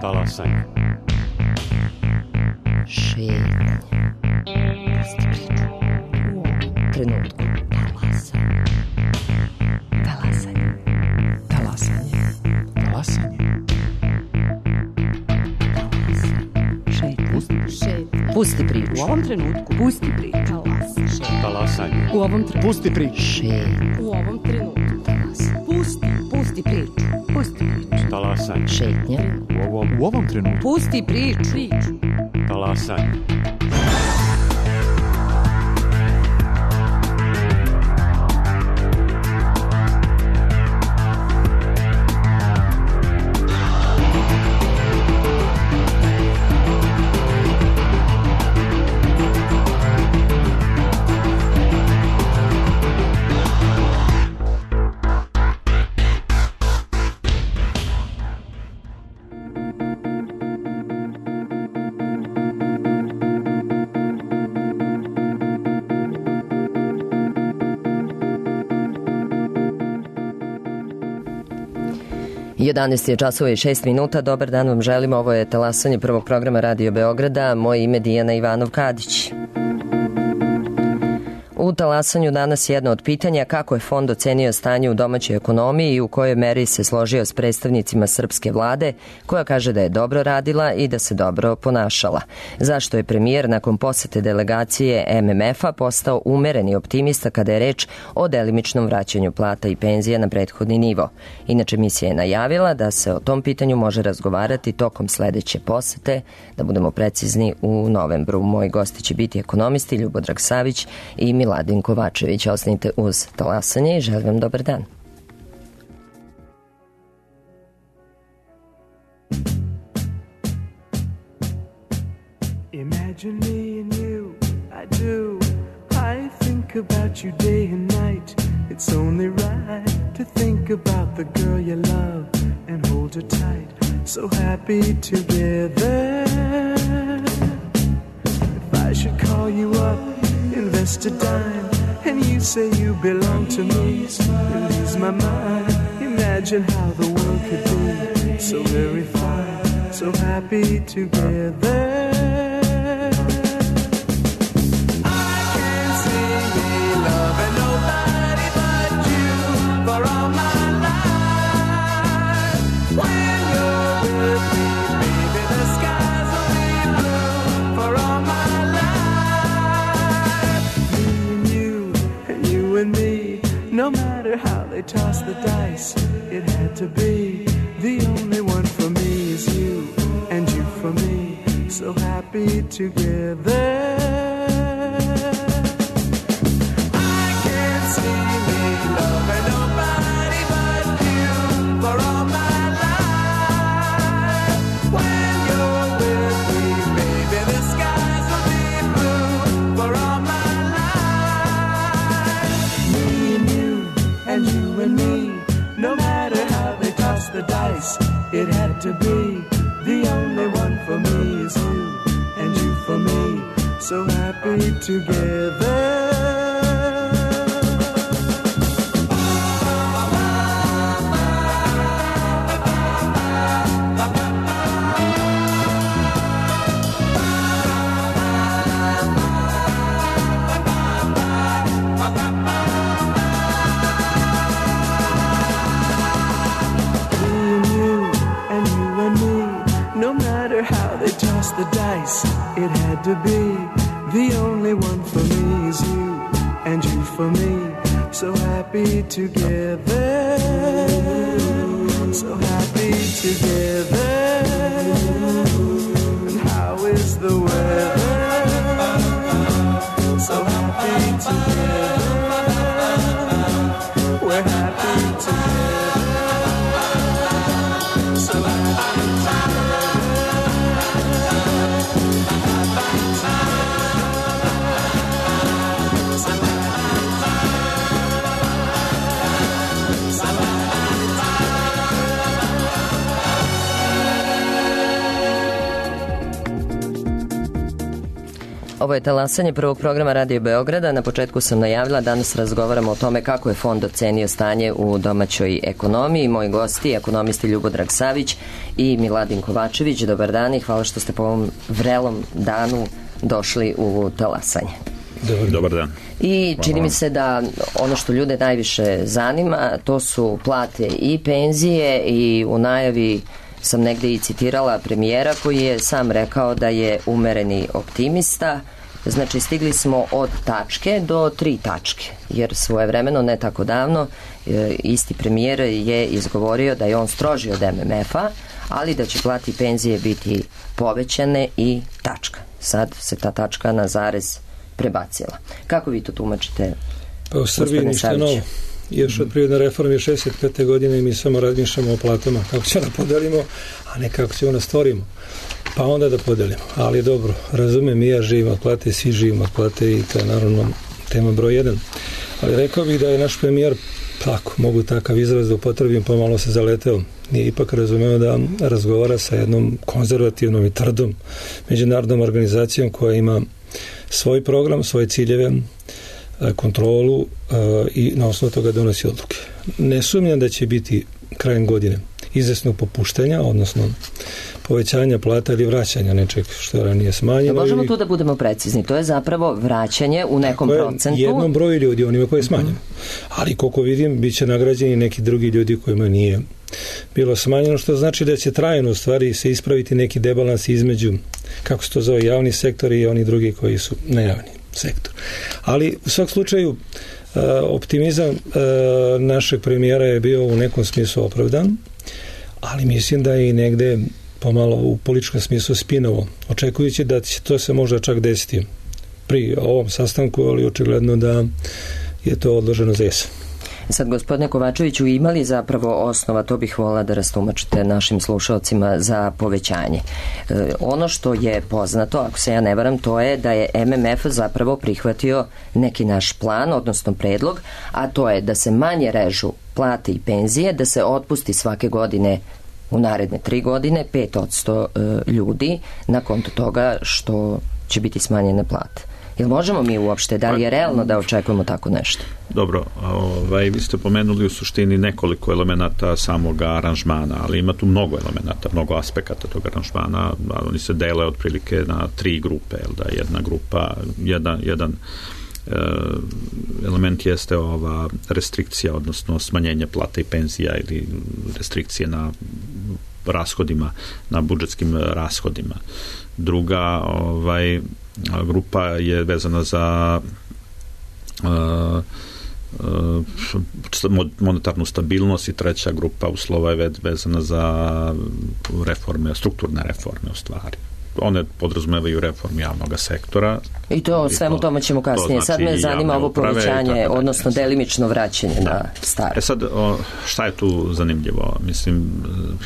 Talasanje. Šetnja. Pusti priču. U ovom trenutku. Talasanje. Talasanje. Talasanje. Šetnja. Pusti priču. U ovom trenutku. Pusti priču. Talasanje. U ovom trenutku. Pusti priču. Šetnja. U ovom trenutku. Pusti priču. Pusti priču. Talasanje. Šetnja. U ovom trenutku. Pusti priču. Talasanje. Jedanaest je časova i 6 minuta. Dobar dan vam želimo. Ovo je talasanje prvog programa Radio Beograda. Moje ime Dijana Ivanov-Kadić. U talasanju danas jedno od pitanja kako je fond ocenio stanje u domaćoj ekonomiji i u kojoj meri se složio s predstavnicima srpske vlade, koja kaže da je dobro radila i da se dobro ponašala. Zašto je premijer nakon posete delegacije MMF-a postao umereni optimista kada je reč o delimičnom vraćanju plata i penzija na prethodni nivo. Inače, misija je najavila da se o tom pitanju može razgovarati tokom sledeće posete, da budemo precizni u novembru. Moji gosti će biti ekonomisti Ljubodrag Savić i Miladin Kovačević. Ostanite uz talasanje i želim vam dobar dan. Imagine me and you, I do. I think about you day and night. It's only right to think about the girl you love and hold her tight. So happy together. If I should call you up, invest a dime, and you say you belong to me, you lose my mind. Imagine how the world could be so very fine, so happy together. I can't see me loving nobody but you for all my life. When you're with me, baby, the skies will be blue for all my life. Me and you and me, no matter how they toss the dice, it had to be. The only one for me is you, and you for me, so happy together. I can't see me loving nobody but you for all my life. When you're with me, baby, the skies will be blue for all my life. Me and me, no matter how they toss the dice, it had to be. The only one for me is you, and you for me, so happy together. The dice, it had to be. The only one for me is you, and you for me, so happy together, so happy together. And how is the weather? So happy together, we're happy together, so happy together. Ovo je talasanje prvog programa Radio Beograda. Na početku sam najavila, danas razgovaramo o tome kako je fond ocenio stanje u domaćoj ekonomiji. Moji gosti, ekonomisti Ljubodrag Savić i Miladin Kovačević. Dobar dan i hvala što ste po ovom vrelom danu došli u talasanje. Dobar dan. I čini mi se da ono što ljude najviše zanima, to su plate i penzije, i u najavi sam negde i citirala premijera koji je sam rekao da je umereni optimista. Znači stigli smo od tačke do 3 tačke, jer svojevremeno, ne tako davno, isti premijer je izgovorio da je on strožio od MMF-a, ali da će plate i penzije biti povećane i tačka. Sad se ta tačka na zarez prebacila. Kako vi to tumačite? Pa u Srbiji ništa novo. Još od privredne reforme 65. godine mi samo razmišljamo o platama, kako će da podelimo, a ne kako ćemo da stvorimo. Pa onda da podelimo. Ali dobro, razumem, i ja živim od plate, svi živimo od plate i to je naravno tema broj 1. Ali rekao bih da je naš premijer, tako, mogu takav izraz da upotrebim, pomalo se zaleteo. Nije ipak razumeo da razgovara sa jednom konzervativnom i tvrdom međunarodnom organizacijom koja ima svoj program, svoje ciljeve, kontrolu i na osnovu toga donosi odluke. Ne sumnjam da će biti krajem godine izvesnog popuštanja, odnosno povećanja plata ili vraćanja nečeg što je ranije smanjeno. Da možemo tu da budemo precizni, to je zapravo vraćanje u nekom procentu. Jednom broju ljudi, onima koji je smanjeno. Ali koliko vidim, bit će nagrađeni neki drugi ljudi kojima nije bilo smanjeno, što znači da će trajno u stvari se ispraviti neki debalans između, kako se to zove, javni sektor i oni drugi koji su nejavni sektor. Ali u svakom slučaju optimizam našeg premijera je bio u nekom smislu opravdan, ali mislim da je i negde pomalo u političkom smislu spinovo, očekujući da će to se možda čak desiti pri ovom sastanku, ali očigledno da je to odloženo za jesen. Sad, gospodine Kovačeviću, imali zapravo osnova, to bih volila da rastumačite našim slušalcima, za povećanje. Ono što je poznato, ako se ja ne varam, to je da je MMF zapravo prihvatio neki naš plan, odnosno predlog, a to je da se manje režu plate i penzije, da se otpusti svake godine u naredne 3 godine 5% ljudi na konto toga što će biti smanjene plate. Jel možemo mi uopšte, da li je realno da očekujemo tako nešto? Dobro, vi ste pomenuli u suštini nekoliko elemenata samog aranžmana, ali ima tu mnogo elemenata, mnogo aspekata tog aranžmana. Oni se dele otprilike na 3 grupe, jel da, jedna grupa, jedan element jeste ova restrikcija, odnosno smanjenje plata i penzija ili restrikcije na rashodima, na budžetskim rashodima. Druga grupa je vezana za monetarnu stabilnost i treća grupa uslova je vezana za reforme, strukturne reforme u stvari. One podrazumevaju reformu javnog sektora. I to svemu tome ćemo kasnije. Sad me zanima ovo povećanje, odnosno delimično vraćanje na staro. Sad, šta je tu zanimljivo? Mislim,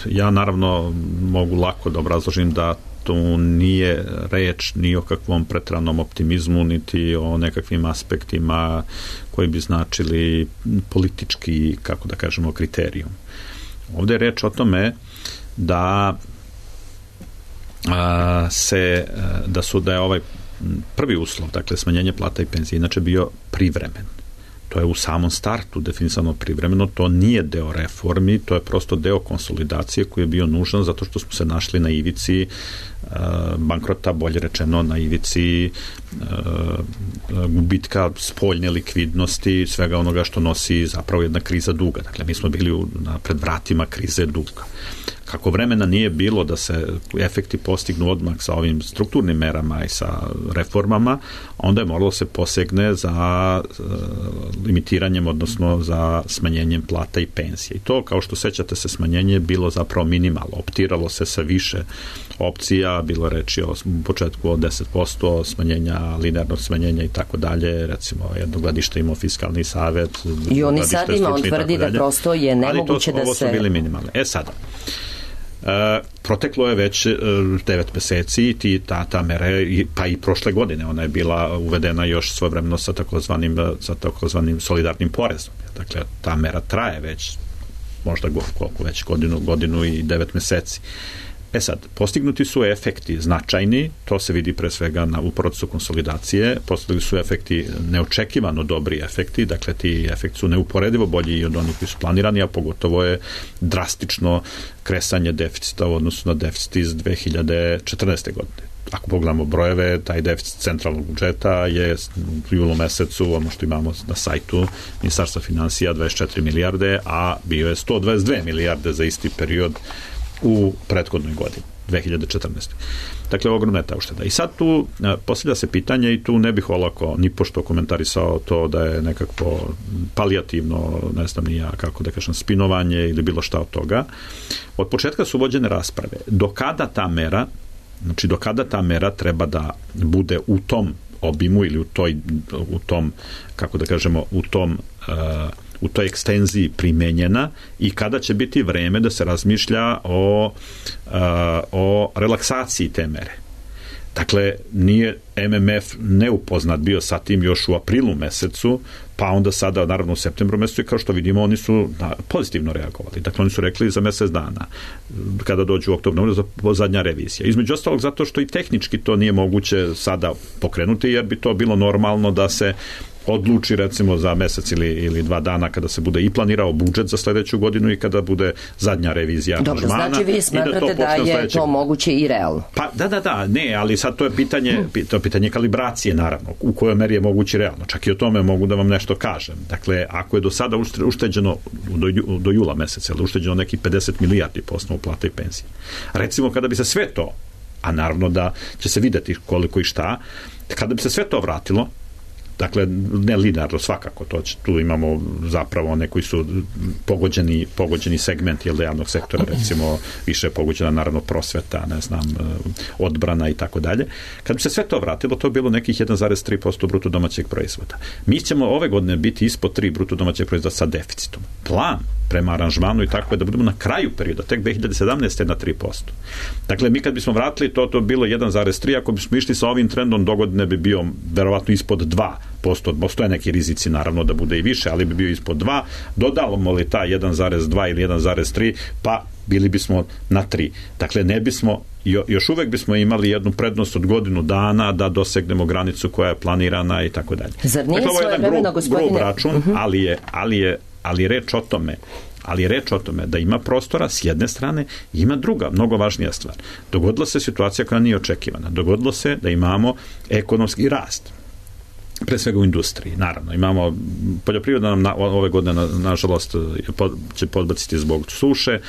ja naravno mogu lako da obrazložim da tu nije reč ni o kakvom pretranom optimizmu, niti o nekakvim aspektima koji bi značili politički, kako da kažemo, kriterijum. Ovdje je reč o tome da da je ovaj prvi uslov, dakle smanjenje plata i penzije, inače bio privremen. To je u samom startu definisano privremeno, to nije deo reformi, to je prosto deo konsolidacije koji je bio nužan zato što smo se našli na ivici bankrota, bolje rečeno na ivici gubitka spoljne likvidnosti, svega onoga što nosi zapravo jedna kriza duga. Dakle, mi smo bili pred vratima krize duga. Kako vremena nije bilo da se efekti postignu odmah sa ovim strukturnim merama i sa reformama, onda je moralo se posegne za limitiranjem, odnosno za smanjenjem plata i penzije. I to, kao što sećate se, smanjenje je bilo zapravo minimalno. Optiralo se sa više opcija, bilo reči o početku od 10% smanjenja, linearnog smanjenja i tako dalje. Recimo, jedno gledište imao fiskalni savet. I oni sad ima, on tvrdi da prosto je nemoguće da se... Ovo su bili minimalne. Sada, proteklo je već 9 meseci i ta mera, pa i prošle godine ona je bila uvedena još svojevremeno sa takozvanim solidarnim porezom. Dakle, ta mera traje već možda koliko već godinu i 9 meseci. Sad, postignuti su efekti značajni, to se vidi pre svega u procesu konsolidacije, postigli su efekti neočekivano dobri efekti, dakle ti efekti su neuporedivo bolji i od onih koji su planirani, a pogotovo je drastično kresanje deficita u odnosu na deficit iz 2014. godine. Ako pogledamo brojeve, taj deficit centralnog budžeta je u julu mesecu, ono što imamo na sajtu Ministarstva finansija, 24 milijarde, a bio je 122 milijarde za isti period u prethodnoj godini, 2014. Dakle, ogromna je ta ušteda. I sad tu postavlja se pitanje i tu ne bih olako ni pošto komentarisao to da je nekako palijativno, ne znam ni ja kako da kažem, spinovanje ili bilo šta od toga. Od početka su vođene rasprave. Do kada ta mera treba da bude u tom obimu ili u tom kako da kažemo, u toj ekstenziji primenjena i kada će biti vreme da se razmišlja o relaksaciji te mere. Dakle, nije MMF neupoznat bio sa tim još u aprilu mesecu, pa onda sada, naravno u septembru mesecu i kao što vidimo, oni su pozitivno reagovali. Dakle, oni su rekli za mesec dana, kada dođu u oktobru, za zadnja revizija. Između ostalog, zato što i tehnički to nije moguće sada pokrenuti, jer bi to bilo normalno da se odluči recimo za mesec ili 2 dana kada se bude i planirao budžet za sledeću godinu i kada bude zadnja revizija aranžmana. Dobro, znači vi smatrate da je to moguće i realno? Pa da, ne, ali sad to je pitanje kalibracije naravno, u kojoj meri je moguće realno. Čak i o tome mogu da vam nešto kažem. Dakle, ako je do sada ušteđeno do jula meseca, ali ušteđeno nekih 50 milijardi po osnovu plata i penzije. Recimo kada bi se sve to, a naravno da će se videti koliko i šta, kada bi se sve to vratilo, dakle, ne linearno svakako, tu imamo zapravo one koji su pogođeni segment javnog sektora, recimo više je pogođena naravno prosveta, ne znam, odbrana i tako dalje. Kad bi se sve to vratilo, to je bilo nekih 1,3% bruto domaćeg proizvoda. Mi ćemo ove godine biti ispod 3 bruto domaćeg proizvoda sa deficitom. Plan prema aranžmanu i tako je da budemo na kraju perioda, tek 2017. na 3%. Dakle, mi kad bismo vratili to bi bilo 1,3, ako bismo išli sa ovim trendom, dogodine bi bio verovatno ispod 2%. Postoje neki rizici naravno da bude i više, ali bi bio ispod 2. Dodavamo li ta 1,2 ili 1,3, pa bili bismo na 3. Dakle, ne bismo, još uvek bismo imali jednu prednost od godinu dana da dosegnemo granicu koja je planirana i tako dalje. Zar nije svoje vremeno, gospodine? Grub račun, ali reč o tome da ima prostora s jedne strane, ima druga, mnogo važnija stvar. Dogodila se situacija koja nije očekivana. Dogodilo se da imamo ekonomski rast. Pre svega u industriji, naravno. Imamo, poljoprivreda nam ove godine, nažalost, će podbaciti zbog suše.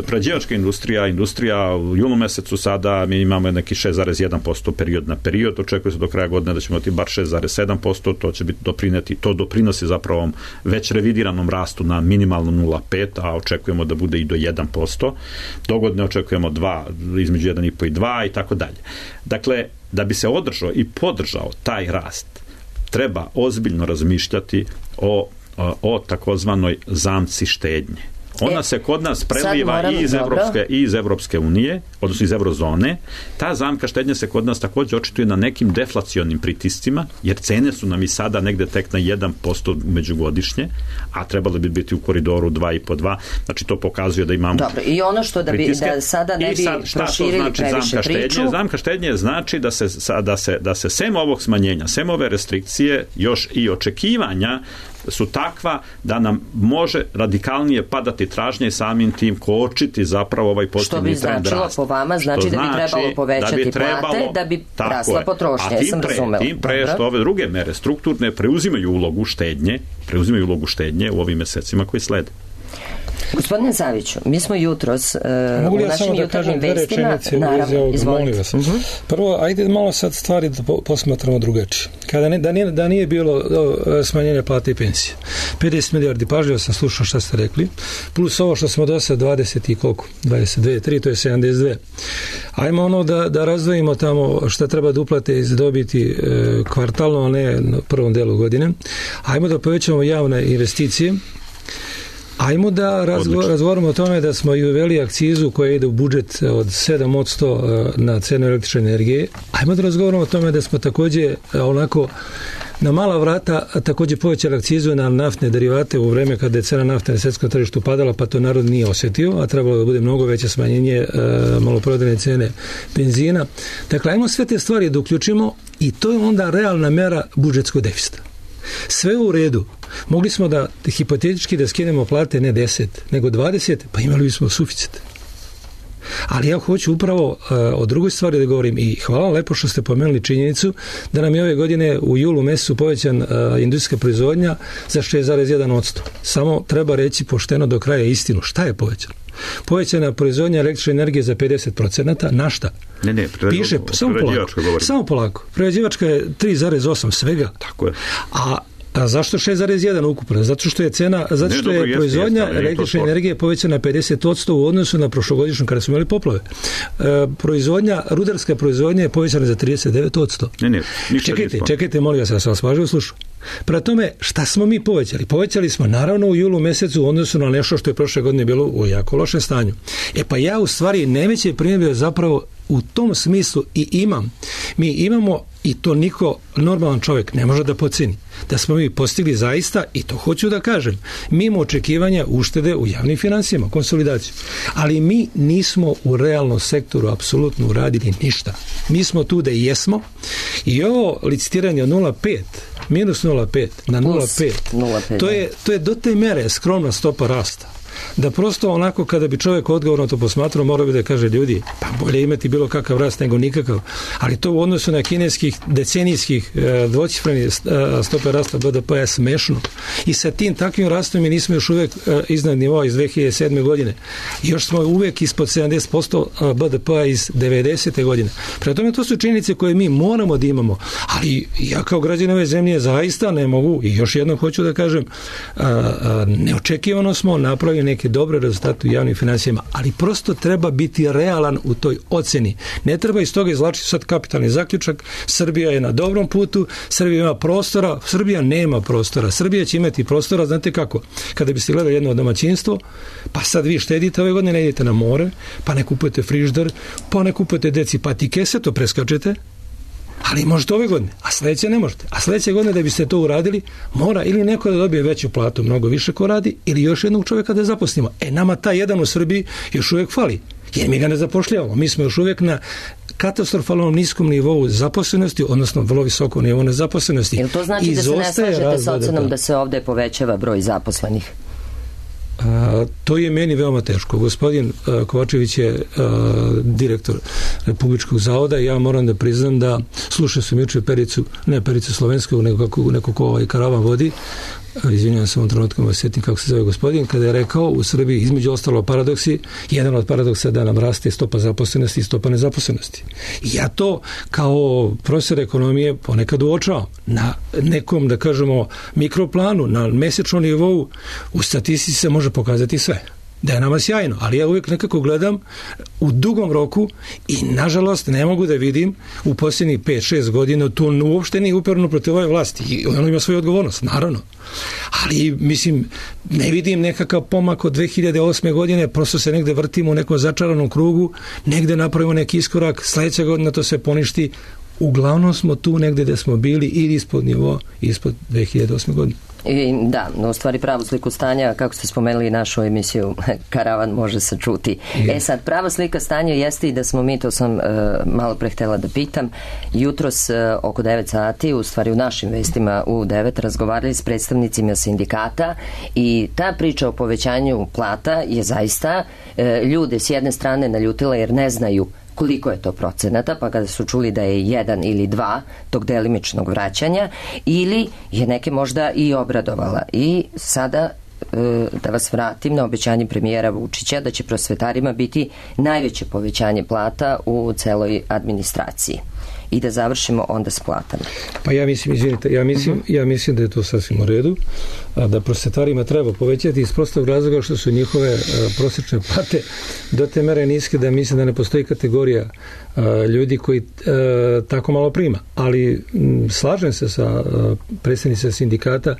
Prerađivačka industrija u julu mesecu sada, mi imamo neki 6,1% period na period, očekuje se do kraja godine da ćemo imati bar 6,7%, to će biti doprinosi zapravo već revidiranom rastu na minimalno 0,5%, a očekujemo da bude i do 1%. Dogodine očekujemo između 1,5 i 2 i tako dalje. Dakle, da bi se održao i podržao taj rast, treba ozbiljno razmišljati o takozvanoj zamci štednje. Ona se kod nas preliva i iz Evropske unije, odnosno iz Eurozone. Ta zamka štednje se kod nas također očituje na nekim deflacionim pritiscima, jer cene su nam i sada negde tek na 1% međugodišnje, a trebalo bi biti u koridoru 2,5-2. Znači, to pokazuje da imamo Dobro, i ono što da sada ne bi proširili previše priču. Zamka štednje znači da se sem ovog smanjenja, sem ove restrikcije, još i očekivanja su takva da nam može radikalnije padati tražnje i samim tim kočiti zapravo ovaj pozitivni trend rasta. Što bi značilo po vama, znači da bi trebalo povećati plate, da bi rasla potrošnja. A tim pre što ove druge mere strukturne preuzimaju ulogu štednje u ovim mesecima koji slede. Gospodine Saviću, mi smo jutros u našim jutarnjim vestima, naravno, izvolite. Prvo, ajde malo sad stvari da posmatramo drugačije. Da nije bilo smanjenja plate i pensije, 50 milijardi, pažljivo sam slušao šta ste rekli, plus ovo što smo do sad 20 i koliko, 22, 3, to je 72. Ajmo ono da razdvojimo tamo šta treba da uplate iz dobiti kvartalno, a ne na prvom delu godine. Ajmo da povećamo javne investicije. Ajmo da razgovaramo o tome da smo i uveli akcizu koja ide u budžet od 7% na cenu električne energije. Ajmo da razgovaramo o tome da smo također onako na mala vrata također povećali akcizu na naftne derivate u vreme kada je cena nafte na svjetskom tržištu padala, pa to narod nije osjetio, a trebalo da bude mnogo veće smanjenje maloprodajne cene benzina. Dakle, ajmo sve te stvari da uključimo i to je onda realna mera budžetskog deficita. Sve u redu. Mogli smo da hipotetički da skinemo plate ne 10, nego 20, pa imali bismo suficit. Ali ja hoću upravo o drugoj stvari da govorim i hvala lepo što ste pomenuli činjenicu da nam je ove godine u julu mesecu povećan industrijska proizvodnja za 6,1%. Samo treba reći pošteno do kraja istinu. Šta je povećano? Povećana proizvodnja električne energije za 50%. Na šta? Ne, piše, samo polako. Prerađivačka je 3,8 svega. Tako je. A zašto 6,1 ukupno? Zato što je proizvodnja električne energije povećana 50% u odnosu na prošlogodišnju kada smo imali poplave. Rudarska proizvodnja je povećana za 39%. Čekajte, molim vas, ja sam vas pažljivo slušao. Prema tome, šta smo mi povećali? Povećali smo naravno u julu mesecu u odnosu na nešto što je prošle godine bilo u jako lošem stanju. Pa ja u stvari najveće primjedbe zapravo u tom smislu i imam. Mi imamo, i to niko normalan čovjek ne može da podceni, da smo mi postigli zaista, i to hoću da kažem, mimo očekivanja uštede u javnim financijama, konsolidaciju. Ali mi nismo u realnom sektoru apsolutno uradili ništa. Mi smo tu da jesmo i ovo licitiranje od 0,5 minus 0,5 na 0,5 to je do te mere skromna stopa rasta. Da prosto onako kada bi čovjek odgovorno to posmatrao, morao bi da kaže ljudi, pa bolje imati bilo kakav rast nego nikakav, ali to u odnosu na kineskih decenijskih dvocifreni stope rasta BDP je smešno. I sa tim takvim rastom mi nismo još uvijek iznad nivoa iz 2007. godine. Još smo uvijek ispod 70% BDP-a iz 90. godine. Prema tome, to su činjenice koje mi moramo da imamo, ali ja kao građanin ove zemlje zaista ne mogu, i još jednom hoću da kažem, neočekivano smo napravili neke dobre rezultate u javnim financijama, ali prosto treba biti realan u toj oceni. Ne treba iz toga izvlačiti sad kapitalni zaključak. Srbija je na dobrom putu, Srbija ima prostora, Srbija nema prostora. Srbija će imati prostora, znate kako? Kada biste gledali jedno domaćinstvo, pa sad vi štedite ove godine, ne idete na more, pa ne kupujete frižider, pa ne kupujete deci patike, sve to preskačete, ali možete ove godine, a sljedeće ne možete. A sljedeće godine da biste to uradili, mora ili neko da dobije veću platu, mnogo više ko radi, ili još jednog čovjeka da zaposlimo. Nama taj jedan u Srbiji još uvijek fali, jer mi ga ne zapošljavamo. Mi smo još uvijek na katastrofalnom niskom nivou zaposlenosti, odnosno vrlo visokom nivou nezaposlenosti. Jel to znači da se ne slažete sa ocenom da se ovdje povećava broj zaposlenih? To je meni veoma teško. Gospodin Kovačević je direktor Republičkog zavoda i ja moram da priznam da slušao sam juče Pericu Slovenskog, neko ko ovaj karavan vodi, izvinjavam se ovom trenutku, me sjetim kako se zove gospodin, kada je rekao u Srbiji između ostalo paradoksi, jedan od paradoksa da nam raste stopa zaposlenosti i stopa nezaposlenosti. Ja to kao profesor ekonomije ponekad uočavam na nekom, da kažemo, mikroplanu, na mesečnom nivou, u statistici se može pokazati sve. Da je nama sjajno, ali ja uvijek nekako gledam u dugom roku i nažalost ne mogu da vidim u posljednjih 5-6 godina to uopšte nije uperno protiv ove vlasti i ono ima svoju odgovornost, naravno. Ali, mislim, ne vidim nekakav pomak od 2008. godine, prosto se negde vrtimo u nekom začaranom krugu, negde napravimo neki iskorak, sljedeća godina to se poništi. Uglavnom smo tu negde gde smo bili ili ispod nivoa, ispod 2008. godine. Da, u stvari pravu sliku stanja, kako ste spomenuli našu emisiju Karavan može se čuti. Sad, prava slika stanja jeste i da smo mi, to sam malo pre htjela da pitam, jutros oko 9 sati, u stvari u našim vestima u 9, razgovarali s predstavnicima sindikata i ta priča o povećanju plata je zaista ljude s jedne strane naljutila jer ne znaju koliko je to procenata, pa kada su čuli da je 1 ili 2 tog delimičnog vraćanja, ili je neke možda i obradovala. I sada da vas vratim na obećanje premijera Vučića da će prosvetarima biti najveće povećanje plata u celoj administraciji. I da završimo onda s platama. Pa ja mislim, izvinite, ja mislim da je to sasvim u redu, da prosvetarima treba povećati iz prostog razloga što su njihove prosječne plate do te mere niske da mislim da ne postoji kategorija ljudi koji tako malo prima. Ali slažem se sa predstavnicima sindikata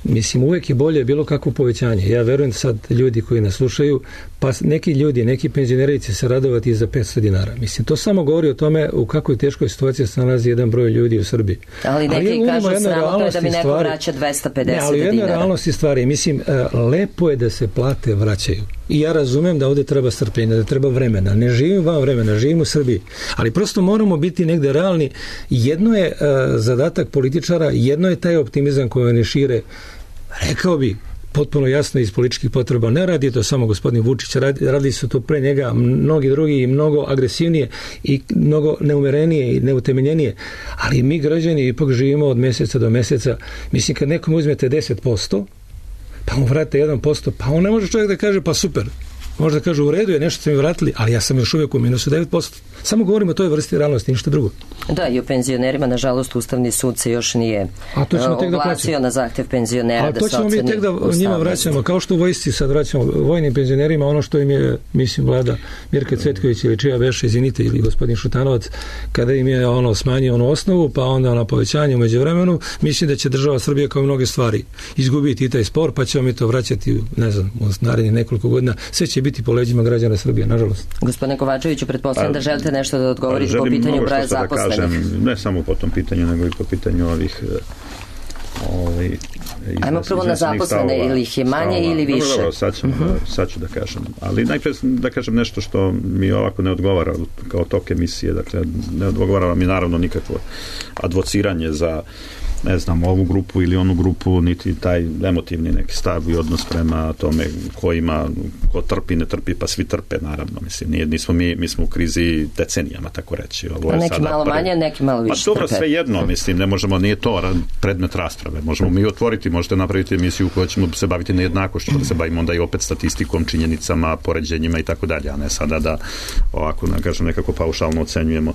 mislim, uvek je bolje bilo kakvo povećanje. Ja verujem sad ljudi koji nas slušaju, pa neki ljudi, neki penzioneri će se radovati za 500 dinara. Mislim, to samo govori o tome u kakvoj teškoj situaciji se nalazi jedan broj ljudi u Srbiji. Ali neki kažu sramotno je da mi neko vraća 250 dinara. Ali u jednoj realnosti stvari, mislim, lepo je da se plate vraćaju. I ja razumem da ovde treba strpljenja, da treba vremena. Ne živim van vremena, živim u Srbiji. Ali prosto moramo biti negde realni. Jedno je zadatak političara, jedno je taj optimizam koji oni šire. Rekao bi, potpuno jasno iz političkih potreba. Ne radi to samo gospodin Vučić, radi su to pre njega mnogi drugi i mnogo agresivnije i mnogo neumerenije i neutemeljenije. Ali mi građani ipak živimo od meseca do meseca. Mislim, kad nekom uzmete 10%, pa mu vrate 1%, pa on ne može čovjek da kaže pa super. Možda kaže u redu je, nešto ste mi vratili, ali ja sam još uvijek u minusu 9%. Samo govorimo o toj vrsti realnosti, ništa drugo. Da, i o penzionerima, nažalost, Ustavni sud se još nije oglasio na zahtev penzionera da se oceni. A to ćemo mi tek da njima vraćamo, kao što u vojsci sad vraćamo vojnim penzionerima, ono što im je, mislim, vlada Mirka Cvetković ili čija veša, izvinite, ili gospodin Šutanovac, kada im je smanjio onu osnovu, pa onda na povećanje u međuvremenu, mislim da će država Srbija kao mnoge stvari izgubiti i taj spor, pa ćemo mi to vraćati, ne znam, u narednih nekoliko godina. Sve će biti po leđima građana Srbije, nažalost. Gospodine Kovačeviću, pretpostavljam da želite nešto da odgovorite po pitanju broja zaposlenih. Ne samo po tom pitanju, nego i po pitanju ovih ajmo prvo na zaposlene, ili ih je manje ili više. Dobro, sad ću da kažem. Ali najprej da kažem nešto što mi ovako ne odgovara kao tok emisije. Dakle, ne odgovara mi naravno nikakvo advociranje za, ne znam, ovu grupu ili onu grupu, niti taj emotivni neki stav i odnos prema tome ko trpi, ne trpi, pa svi trpe, naravno. Mislim, mi smo u krizi decenijama, tako reći. Ovo je neki sada malo manje, neki malo više trpe. Pa dobro, sve jedno, mislim, ne možemo, nije to predmet rasprave. Možemo mi otvoriti, možete napraviti emisiju u kojoj ćemo se baviti nejednakošću, da se bavimo onda i opet statistikom, činjenicama, poređenjima i tako dalje, a ne sada da ovako, kažem, nekako paušalno ocenjujemo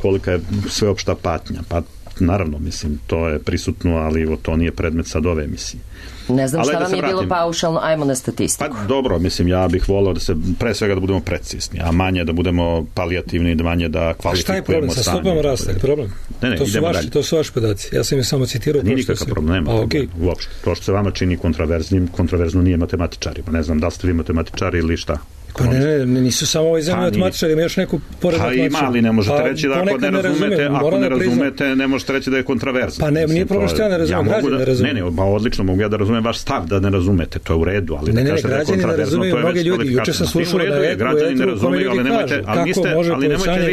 kolika je sveopšta patnja. Pa naravno, mislim, to je prisutno, ali to nije predmet sad ove emisije. Ne znam šta vam je bilo paušalno, ajmo na statistiku. Pa dobro, mislim, ja bih volao da se, pre svega da budemo precizni, a manje da budemo palijativni, manje da kvalifikujemo stanje. A šta je problem? Sa stopama rasta je problem? Ne, idemo dalje. To su vaši podaci. Ja sam je samo citirao. Nije nikakav problem. Uopšte. To što se vama čini kontroverzno nije matematičarima. Ne znam da li ste vi matematičari ili šta. Pa ne, nisu samo ovaj zemlji matematičari, ima još neku pored matematičara. Pa ima, ali ne možete reći da ako ne razumete, ne možete reći da je kontraverzno. Pa ne, nije problem što ja ne razumem, građani ne razumem. Ne, odlično, mogu ja da razumem vaš stav da ne razumete, to je u redu, ali da kažete da je kontraverzno, to je već kvalifikacija. Građani ne razumeju, ali nemojte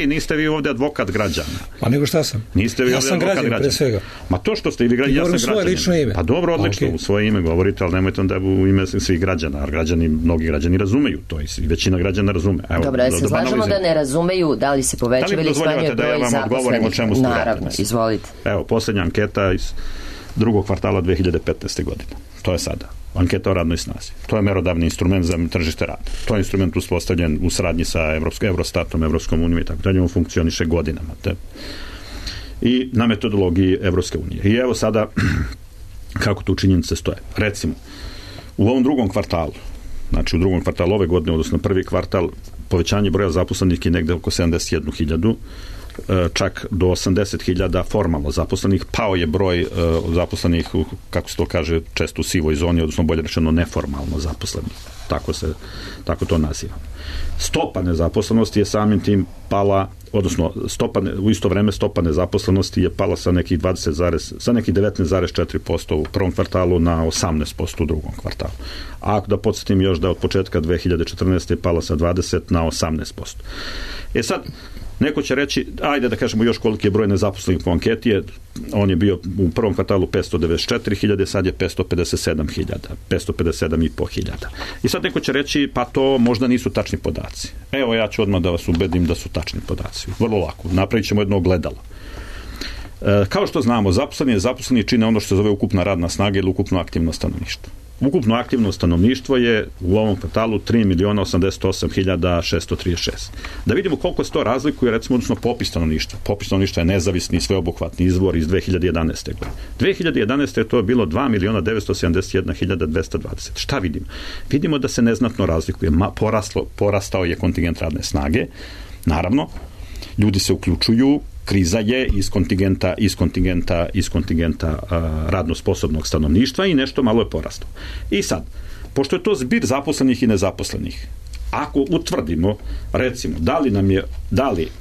niste vi ovdje advokat građana. Pa nego šta sam? Niste vi ovdje advokat građana. Ma to što ste, ja sam građanin. Pa dobro, odlično, u svoje ime govorite, ali nemojte onda u ime svih građana, jer mnogi građani razumeju to i većina građana razume. Dobro, ja se slažemo da ne razumeju da li se povećava ili smanjuje broj zaposlenih. Naravno, izvolite. Evo, posljednja anketa iz drugog kvartala 2015. godine. To je sada. Anketa o radnoj snazi. To je merodavni instrument za tržište rada. To je instrument uspostavljen u saradnji sa Eurostatom, Evropskom unijom i tako dalje. On funkcioniše godinama. I na metodologiji Evropske unije. I evo sada kako tu činjenice stoje. Recimo, u ovom drugom kvartalu, znači u drugom kvartalu ove godine, odnosno prvi kvartal, povećanje broja zaposlenih je negde oko 71.000, čak do 80.000 formalno zaposlenih, pao je broj zaposlenih, kako se to kaže, često u sivoj zoni, odnosno bolje rečeno neformalno zaposlenih. Tako to nazivam. Stopa nezaposlenosti je samim tim pala, odnosno u isto vreme stopa nezaposlenosti je pala sa nekih 19,4% u prvom kvartalu na 18% u drugom kvartalu. A da podsjetim još da od početka 2014. je pala sa 20 na 18%. Sad, neko će reći, ajde da kažemo još koliki je broj nezaposlenih po anketi, on je bio u prvom kvartalu 594.000, sad je 557.500. I sad neko će reći, pa to možda nisu tačni podaci. Evo, ja ću odmah da vas ubedim da su tačni podaci. Vrlo lako. Napravit ćemo jedno ogledalo. Kao što znamo, zaposleni čine ono što se zove ukupna radna snaga ili ukupno aktivno stanovništvo. Ukupno aktivno stanovništvo je u ovom kvartalu 3.088.636. Da vidimo koliko se to razlikuje, recimo, odnosno popis stanovništva. Popis stanovništva je nezavisni, sveobuhvatni izvor iz 2011. godine. 2011. je to bilo 2.971.220. Šta vidimo? Vidimo da se neznatno razlikuje. Porastao je kontingent radne snage. Naravno, ljudi se uključuju kriza je iz kontingenta radno sposobnog stanovništva i nešto malo je porastao. I sad, pošto je to zbir zaposlenih i nezaposlenih, ako utvrdimo, recimo,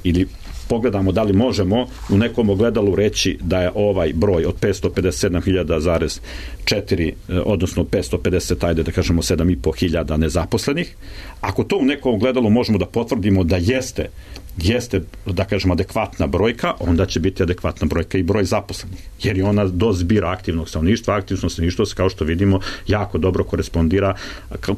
ili pogledamo da li možemo u nekom ogledalu reći da je ovaj broj od 557.000,4, odnosno 550, ajde da kažemo 7.500 nezaposlenih, ako to u nekom ogledalu možemo da potvrdimo da jeste, da kažemo, adekvatna brojka, onda će biti adekvatna brojka i broj zaposlenih. Jer je ona do zbira aktivnog stanovništva. Aktivno stanovništvo, kao što vidimo, jako dobro korespondira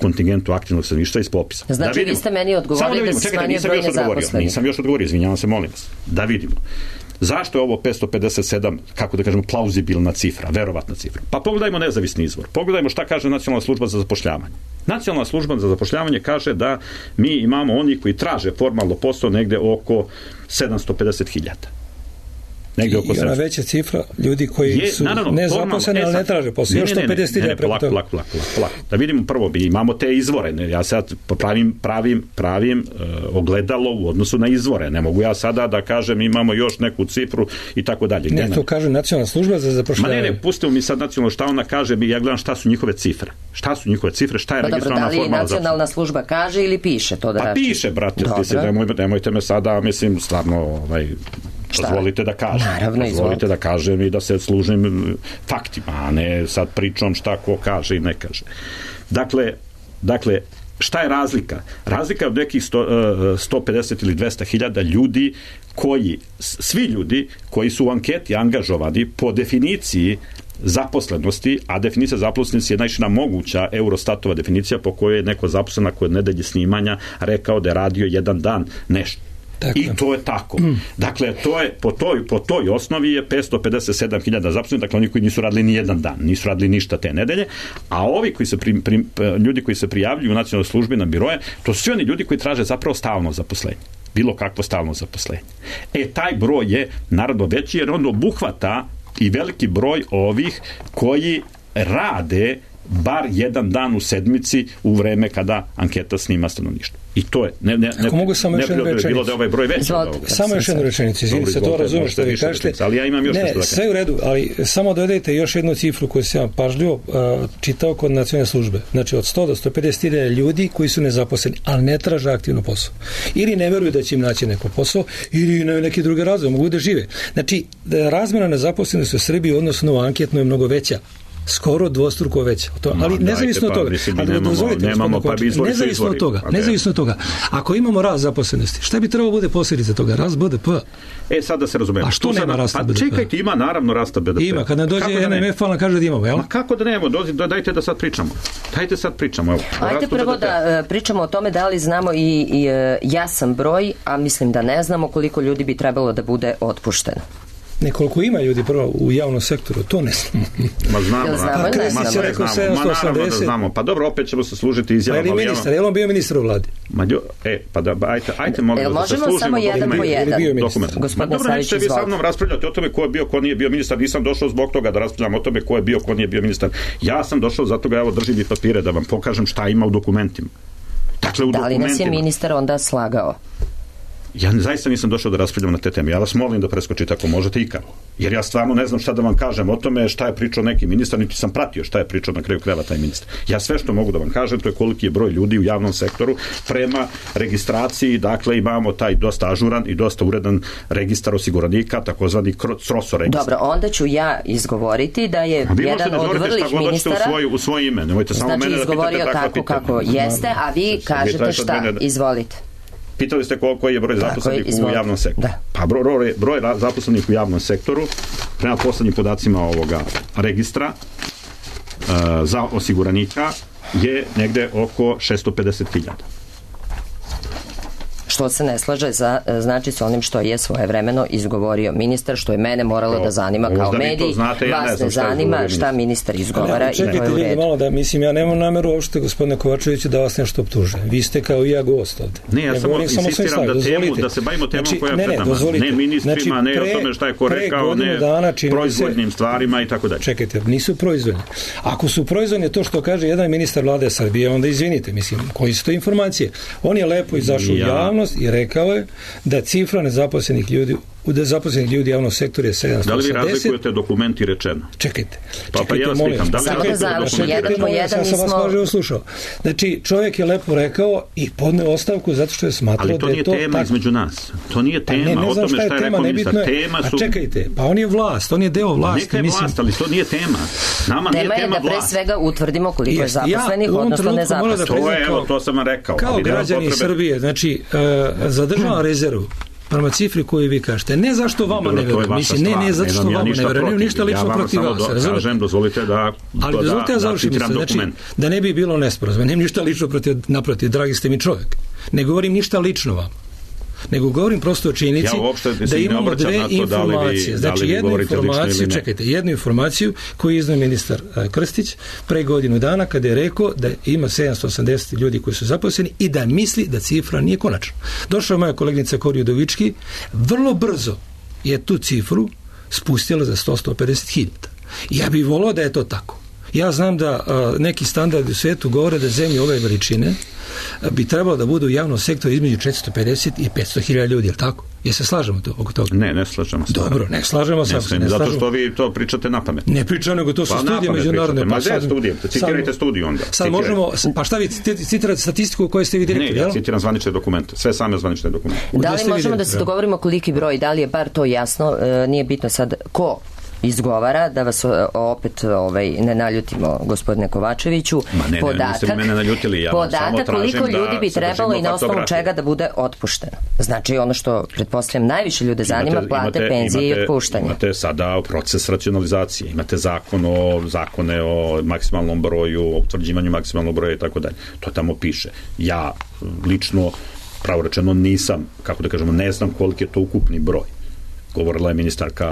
kontingentu aktivnog stanovništva iz popisa. Znači, vi ste meni odgovorili da se smanjuje broj nezaposlenih. Nisam još odgovorio, izvinjavam se, molim vas. Da vidimo. Zašto je ovo 557, kako da kažemo, plauzibilna cifra, verovatna cifra? Pa pogledajmo nezavisni izvor. Pogledajmo šta kaže Nacionalna služba za zapošljavanje. Nacionalna služba za zapošljavanje kaže da mi imamo oni koji traže formalno posao negde oko 750.000. I ona veća cifra ljudi koji su nezaposleni, ali ne traže posao. Još 150.000 preko toga. Plak. Da vidimo prvo, imamo te izvore. Ja sad pravim ogledalo u odnosu na izvore. Ne mogu ja sada da kažem imamo još neku cifru i tako dalje. Ne, to kaže Nacionalna služba za zapošljavanje. Ne, pustimo mi sad nacionalno šta ona kaže, ja gledam šta su njihove cifre. Šta je registrovana formalna da li nacionalna služba kaže ili piše to da rači? Pa piše, brate, nemojte me sada, mislim, stvarno, dozvolite da kažem. Dozvolite da kažem i da se služim faktima, a ne sad pričom šta ko kaže i ne kaže. Dakle, šta je razlika? Razlika je od nekih 150 ili 200.000 ljudi svi ljudi koji su u anketi angažovani po definiciji zaposlenosti, a definicija zaposlenosti je najšira moguća Eurostatova definicija po kojoj je neko zaposlen kod nedelje snimanja rekao da je radio jedan dan nešto. Tako. I to je tako. Dakle, to je, po toj osnovi je 557.000 zaposlenih, dakle oni koji nisu radili ni jedan dan, nisu radili ništa te nedelje, a ovi koji se ljudi koji se prijavljuju u nacionalnoj službi na biroje, to su svi oni ljudi koji traže zapravo stalno zaposlenje. Bilo kakvo stalno zaposlenje. Taj broj je naravno veći jer on obuhvata i veliki broj ovih koji rade bar jedan dan u sedmici u vreme kada anketa snima stanovništvo. I to je ako mogu samo još jednu rečenicu. Bilo da ovaj broj veći. Samo još jednu rečenicu, izvinite se, to razumem što vi kažete. Ali ja imam još nešto da kažem. Sve u redu, ali samo dodajte još jednu cifru koju sam pažljivo čitao kod nacionalne službe. Znači od 100 do 150.000 ljudi koji su nezaposleni, ali ne traže aktivno posao. Ili ne veruju da će im naći neko posao, ili na neki drugi razlog, mogu da žive. Znači, razmjena nezaposlenosti u Srbiji odnosno u anketno je mnogo veća. Skoro dvostruko veća. Ali nezavisno od toga. Nezavisno od toga. Ako imamo rast zaposlenosti, šta bi trebalo bude posljedica toga? Rast BDP. Sad da se razumemo. A što nema rasta BDP? Čekajte, ima naravno rasta BDP. Ima, kad nam dođe NMF, ona kaže da imamo, jel? Kako da nemamo? Dajte da sad pričamo. Ajde prvo da pričamo o tome da li znamo i jasan broj, a mislim da ne znamo koliko ljudi bi trebalo da bude otpušteno. Nekoliko ima ljudi prvo u javnom sektoru, to ne znamo. Znamo. Pa dobro, opet ćemo se služiti izjavama. Je li on bio ministar u vladi? Ajte molim da se služimo samo jedan po jedan? Dobro, nećete vi sa mnom raspravljati o tome ko je bio, ko nije bio ministar. Nisam došao zbog toga da raspravljam o tome ko je bio, ko nije bio ministar. Ja sam došao zato ga, evo, držim i papire da vam pokažem šta ima u dokumentima. Da li nas je ministar onda slagao? Ja zaista nisam došao da raspravljam na te teme. Ja vas molim da preskočite ako možete ikad. Jer ja stvarno ne znam šta da vam kažem o tome šta je pričao neki ministar, niti sam pratio šta je pričao na kraju krajeva taj ministar. Ja sve što mogu da vam kažem, to je koliki je broj ljudi u javnom sektoru prema registraciji. Dakle, imamo taj dosta ažuran i dosta uredan registar osiguranika, takozvani CROSO registar. Dobro, onda ću ja izgovoriti da je jedan od vrlih ministara u svoje ime. Nemojte samo mene da pitate izgovorio tako kako jeste, a vi kažete šta. Izvolite. Pitali ste koji je broj zaposlenih u javnom sektoru. Pa broj zaposlenih u javnom sektoru prema poslednjim podacima ovoga registra za osiguranika je negde oko 650.000. Što se ne slaže znači s onim što je svojevremeno izgovorio ministar, što je mene moralo da zanima kao medij. Vas ne zanima šta ministar izgovara i to je u redu. Malo da, mislim, ja nemam nameru uopšte, gospodine Kovačeviću, da vas nešto optuže. Vi ste kao i ja gost ovde. Ne, ja samo insistiram da se bavimo temom koja je pred nama. Ne ministrima, ne o tome šta je ko rekao, ne proizvodnim stvarima i tako dalje. Čekajte, nisu proizvodne. Ako su proizvodne to što kaže jedan ministar vlade Srbije, onda izvinite, mislim, koji su to informacije? On je lepo izašao u javnost i rekao je da cifra nezaposlenih ljudi zaposlenih ljudi javnog sektora je 780. Da li vi razlikujete dokumenti rečeno? Čekajte, ja vas pitam, da li samo da završim, jedan po jedan nismo... Ja sam vas pažljivo slušao. Znači, čovjek je lepo rekao i podneo ostavku zato što je smatrao da je to... Ali to nije tema između nas. To nije tema. Ne znam šta je tema, nebitno je. A čekajte, pa on je vlast, on je deo vlasti. Neka je vlast, ali to nije tema. Nama nije tema vlast. Tema je da pre svega utvrdimo koliko je zaposlenih, odnosno nezaposlenih. To sam vam rekao. Kao građani Srbije, znači, zadržavam rezervu prema cifri koju vi kažete. Ne zašto vama ne verujem. Mislim, ne zato što vama ne verujem. Ništa lično protiv vas. Kažem, dozvolite da završim se. Znači, da ne bi bilo nesporazuma. Nemam ništa lično naprotiv. Dragi ste mi čovjek. Ne govorim ništa lično vam. Nego govorim prosto o činjenici da imamo dve informacije. Znači, jednu informaciju koju je iznao ministar Krstić pre godinu dana kada je rekao da ima 780 ljudi koji su zaposleni i da misli da cifra nije konačna. Došla moja koleginica Kori Udovički, vrlo brzo je tu cifru spustila za 150 hiljada. Ja bih volao da je to tako. Ja znam da neki standardi u svijetu govore da zemlje ove veličine bi trebalo da budu u javnom sektoru između 450 i 500 hiljada ljudi, je li tako? Je se slažemo oko toga? Ne slažemo se. Dobro, ne slažemo se. Zato što vi to pričate na pamet. Ne pričam, nego to su studije međunarodne. Ma gde studije? Citirajte studiju onda. Sad možemo, pa šta vi citirate statistiku koju ste vi direktor? Ne, ja citiram zvanične dokumente. Sve same zvanične dokumente. Da li možemo da se dogovorimo koliki broj, da li je bar to jasno, nije bitno sad ko izgovara, da vas opet ne naljutimo, gospodine Kovačeviću. Podatak koliko ljudi bi trebalo i na osnovu čega da bude otpušteno. Znači ono što pretpostavljam najviše ljude zanima, plate, penzije i otpuštanje. Imate sada proces racionalizacije, imate zakone o maksimalnom broju, o utvrđivanju maksimalnog broja i tako dalje. To tamo piše. Ja lično, pravo rečeno, nisam, kako da kažemo, ne znam koliki je to ukupni broj. Govorila je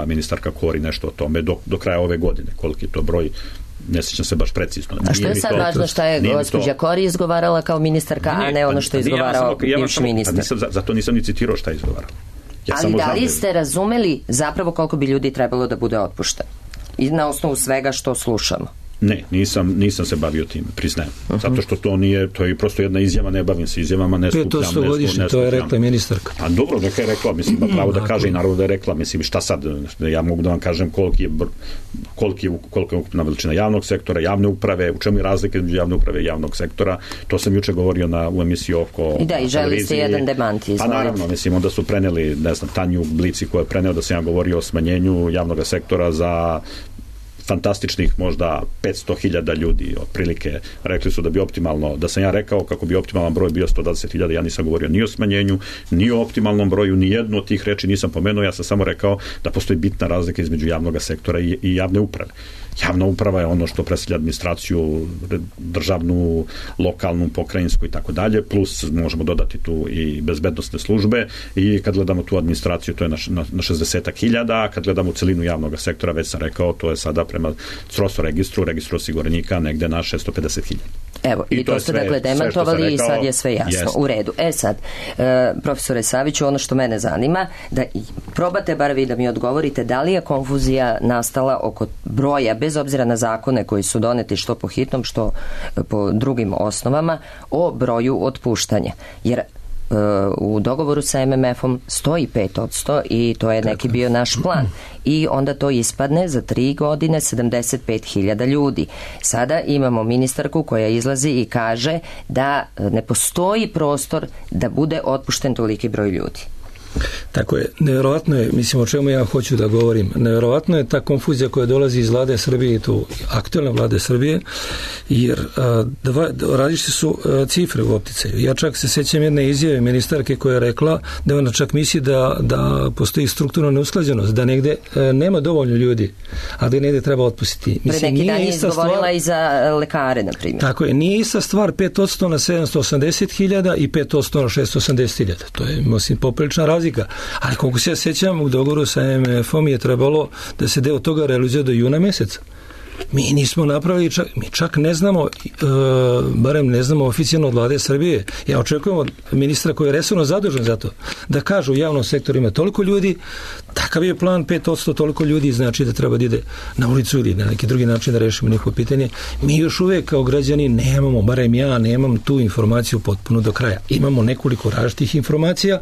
ministarka Kori nešto o tome do kraja ove godine. Koliki je to broj, ne sjećam se baš precizno. A što je sad važno šta je gospođa Kori izgovarala kao ministarka, a ne ono što je izgovarao bivši ministar? Zato nisam ni citirao šta je izgovarala. Ali da li ste razumeli zapravo koliko bi ljudi trebalo da bude otpušteno? I na osnovu svega što slušamo? Ne, nisam se bavio tim, priznajem. Zato što to nije, to je prosto jedna izjava, ne bavim se izjavama, ne skupljam. 500 godišnje, to je rekla ministarka. A dobro, neka je rekla, mislim, pravo da kaže i naravno da je rekla, mislim, šta sad, ja mogu da vam kažem kolika je ukupna veličina javnog sektora, javne uprave, u čemu je razlika između javne uprave i javnog sektora, to sam juče govorio u emisiji oko i da, i želi ste jedan demant izvolite. Pa naravno, mislim, onda su preneli, ne znam, Tanju Blici koja je preneo da sam ja govorio o smanjenju javnog sektora za fantastičnih možda 500.000 ljudi, otprilike rekli su da bi optimalno, da sam ja rekao kako bi optimalan broj bio 120.000, ja nisam govorio ni o smanjenju, ni o optimalnom broju, ni jednu od tih reči nisam pomenuo, ja sam samo rekao da postoji bitna razlika između javnog sektora i javne uprave. Javna uprava je ono što predstavlja administraciju državnu, lokalnu, pokrajinsku i tako dalje, plus možemo dodati tu i bezbednosne službe i kad gledamo tu administraciju to je na 60.000, a kad gledamo celinu javnog sektora, već sam rekao, to je sada prema CROSO registru osiguranika negde na 650.000. Evo, i to ste dakle demantovali i sad je sve jasno. U redu. Sad, profesore Saviću, ono što mene zanima, da probate bar vi da mi odgovorite da li je konfuzija nastala oko broja, bez obzira na zakone koji su doneti što po hitnom, što po drugim osnovama, o broju otpuštanja. Jer u dogovoru sa MMF-om stoji 5% i to je neki bio naš plan. I onda to ispadne za 3 godine 75.000 ljudi. Sada imamo ministarku koja izlazi i kaže da ne postoji prostor da bude otpušten toliki broj ljudi. Tako je, nevjerovatno je, mislim o čemu ja hoću da govorim, nevjerovatno je ta konfuzija koja dolazi iz vlade Srbije i tu aktualne vlade Srbije, jer različite su cifre u opticaju. Ja čak se sećam jedne izjave ministarke koja je rekla da ona čak misli da postoji strukturna neusklađenost, da negde nema dovoljno ljudi, a da negde treba otpustiti. Pre neki dan je izgovorila i za lekare, na primjer. Tako je, nije ista stvar 5% na 780.000 i 5% na 680.000. To je, mislim, poprilična razlika. Ali koliko se ja sećam, u dogovoru sa MMF-om je trebalo da se deo toga realizuje do juna meseca. Mi nismo napravili, mi čak ne znamo, barem ne znamo oficijalno od vlade Srbije. Ja očekujem od ministra koji je resorno zadužen za to, da kažu u javnom sektoru ima toliko ljudi, Takav je plan, 5% toliko ljudi znači da treba da ide na ulicu ili na neki drugi način da rešimo njihovo pitanje. Mi još uvek kao građani nemamo, barem ja nemam tu informaciju potpuno do kraja. Imamo nekoliko različitih informacija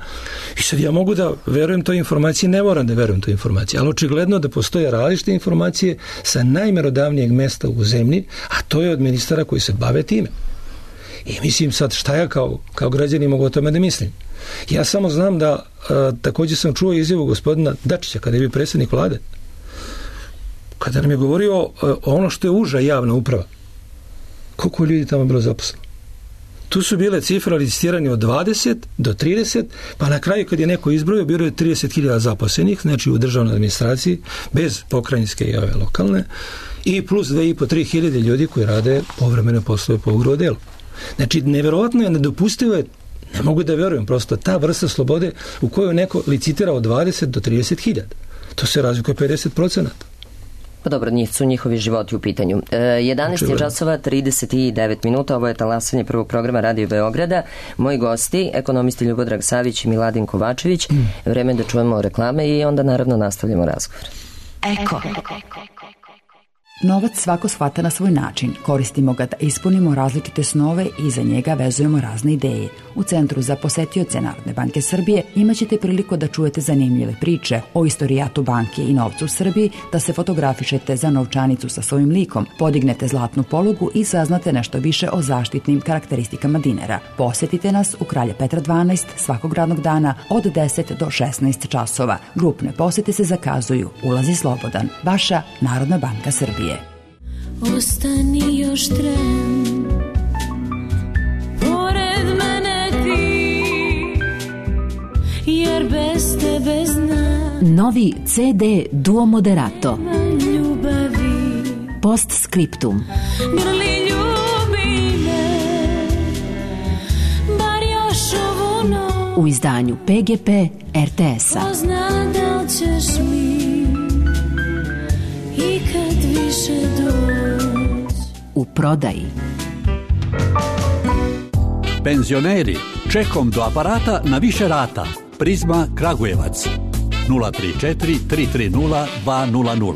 i sad ja mogu da verujem toj informaciji, ne moram da verujem toj informaciji, ali očigledno da postoje različite informacije sa najmerodavnijeg mesta u zemlji, a to je od ministara koji se bave time. I mislim sad šta ja kao građani mogu o tome da mislim. Ja samo znam da također sam čuo izjavu gospodina Dačića kada je bio predsjednik vlade, kada nam je govorio ono što je uža javna uprava. Koliko ljudi tamo bilo zaposleno? Tu su bile cifre licitirane od 20 do 30, pa na kraju kad je neko izbrojio, bilo je 30.000 zaposlenih, znači u državnoj administraciji, bez pokrajinske i ove lokalne, i plus 2.500-3.000 ljudi koji rade povremene poslove po ugovoru o delu. Znači, neverovatno je, nedopustivo je, ne mogu da verujem, prosto ta vrsta slobode u kojoj neko licitira od 20 do 30.000. To se razlikuje 50%. Pa dobro, su njihovi životi u pitanju. 11 časova 39 minuta, ovo je talasanje prvog programa Radio Beograda. Moji gosti, ekonomisti Ljubodrag Savić i Miladin Kovačević. Vreme da čujemo reklame i onda naravno nastavljamo razgovor. Eko. Novac svako shvata na svoj način. Koristimo ga da ispunimo različite snove i za njega vezujemo razne ideje. U Centru za posetioce Narodne banke Srbije imaćete priliku da čujete zanimljive priče o istorijatu banke i novcu u Srbiji, da se fotografišete za novčanicu sa svojim likom, podignete zlatnu polugu i saznate nešto više o zaštitnim karakteristikama dinara. Posetite nas u Kralja Petra 12 svakog radnog dana od 10 do 16 časova. Grupne posete se zakazuju. Ulaz je slobodan. Vaša Narodna banka Srbije. Ostani još tren, pored mene ti, jer bez tebe znam. Novi CD Duo Moderato. Ljubavi. Postscriptum. Grli ljubi me, bar još ovu noć. U izdanju PGP RTS-a. Ko zna da li ćeš mi i kad više doći. U prodaji. Penzioneri, čekom do aparata na više rata. Prizma Kragujevac 034 330 200.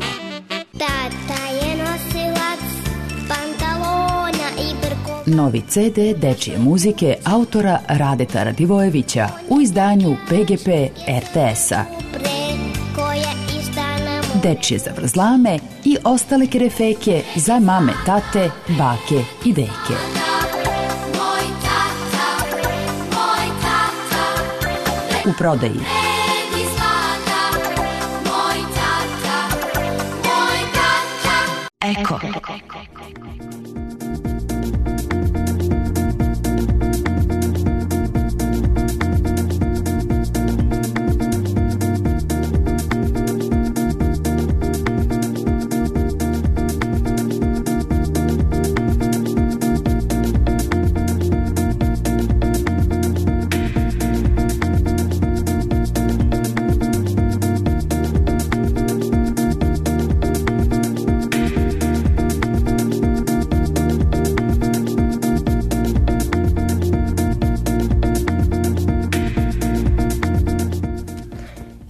Tata je nosilac pantalona i brko. Novi CD dečije muzike autora Radeta Radivojevića u izdanju PGP RTS-a. Dečije zavrzlame i ostale kerefeke za mame, tate, bake i deke. U prodaji. Eko.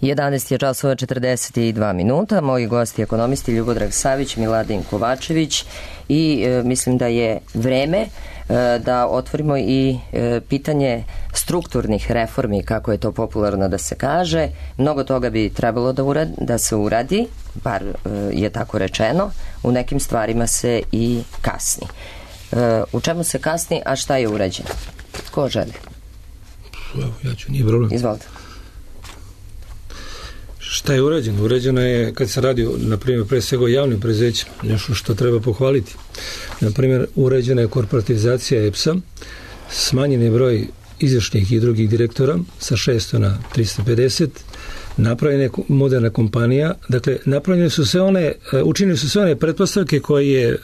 Jedanaest je časova 42 minuta. Moji gosti ekonomisti Ljubodrag Savić, Miladin Kovačević i mislim da je vreme da otvorimo i pitanje strukturnih reformi, kako je to popularno da se kaže. Mnogo toga bi trebalo da se uradi, bar je tako rečeno. U nekim stvarima se i kasni. U čemu se kasni, a šta je urađeno? Ko želi? Evo, ja ću, nije problem. Izvolite. Šta je urađeno? Urađeno je, kad se radi, na primjer, pre svega o javnim preduzećima, nešto što treba pohvaliti. Na primjer, urađena je korporatizacija EPS-a, smanjen je broj izvršnih i drugih direktora sa 600 na 350, napravljena je moderna kompanija, dakle, učinili su sve one pretpostavke koje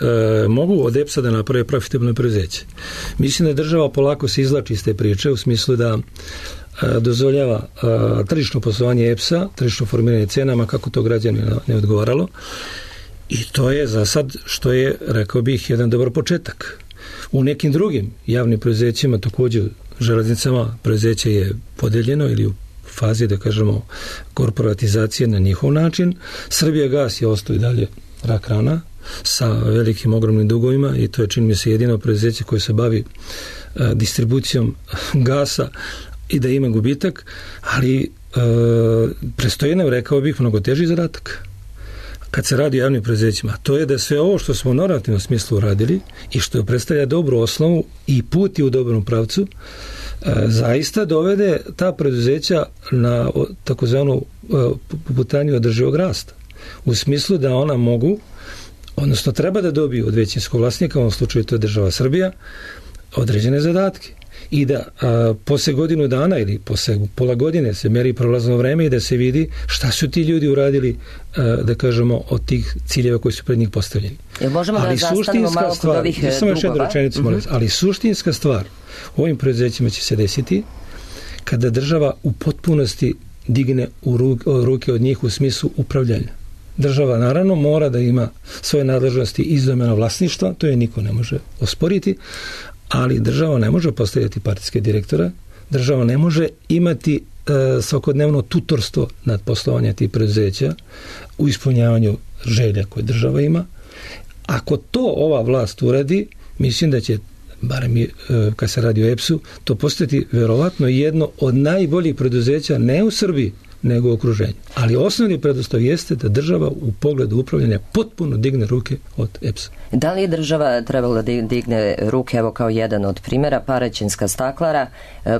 mogu od EPS-a da naprave profitabilno preduzeće. Mislim da država polako se izvlači iz te priče, u smislu da dozvoljava tržišno poslovanje EPS-a, tržišno formiranje cenama, kako to građani ne odgovaralo. I to je za sad, što je, rekao bih, jedan dobar početak. U nekim drugim javnim preduzećima, također železnicama, preduzeće je podeljeno ili u fazi, da kažemo, korporatizacije na njihov način. Srbijagas je ostao i dalje rak rana sa velikim, ogromnim dugovima i to je, čini mi se, jedino preduzeće koje se bavi distribucijom gasa i da ima gubitak, ali prestoji nam, rekao bih, mnogo teži zadatak kad se radi o javnim preduzećima. To je da sve ovo što smo u normativnom smislu uradili i što predstavlja dobru osnovu i put je u dobrom pravcu, zaista dovede ta preduzeća na takozvanu putanju održivog rasta. U smislu da ona mogu, odnosno treba da dobiju od većinskog vlasnika, u ovom slučaju to je država Srbija, određene zadatke. I da posle godinu dana ili posle pola godine se meri prolazno vreme i da se vidi šta su ti ljudi uradili, da kažemo, od tih ciljeva koji su pred njih postavljeni. Jel možemo da zastanemo malo kod ovih dugova? Ali suštinska stvar u ovim preduzećima će se desiti kada država u potpunosti digne u ruke od njih u smislu upravljanja. Država naravno mora da ima svoje nadležnosti iz domena vlasništva, to je niko ne može osporiti, ali država ne može postavljati partijske direktora, država ne može imati svakodnevno tutorstvo nad poslovanja tih preduzeća u ispunjavanju želja koje država ima. Ako to ova vlast uradi, mislim da će, barem kad se radi o EPS-u, to postati verovatno jedno od najboljih preduzeća ne u Srbiji, nego u okruženju. Ali osnovni preduslov jeste da država u pogledu upravljanja potpuno digne ruke od EPS-a. Da li je država trebala da digne ruke, evo kao jedan od primjera, Paraćinska staklara,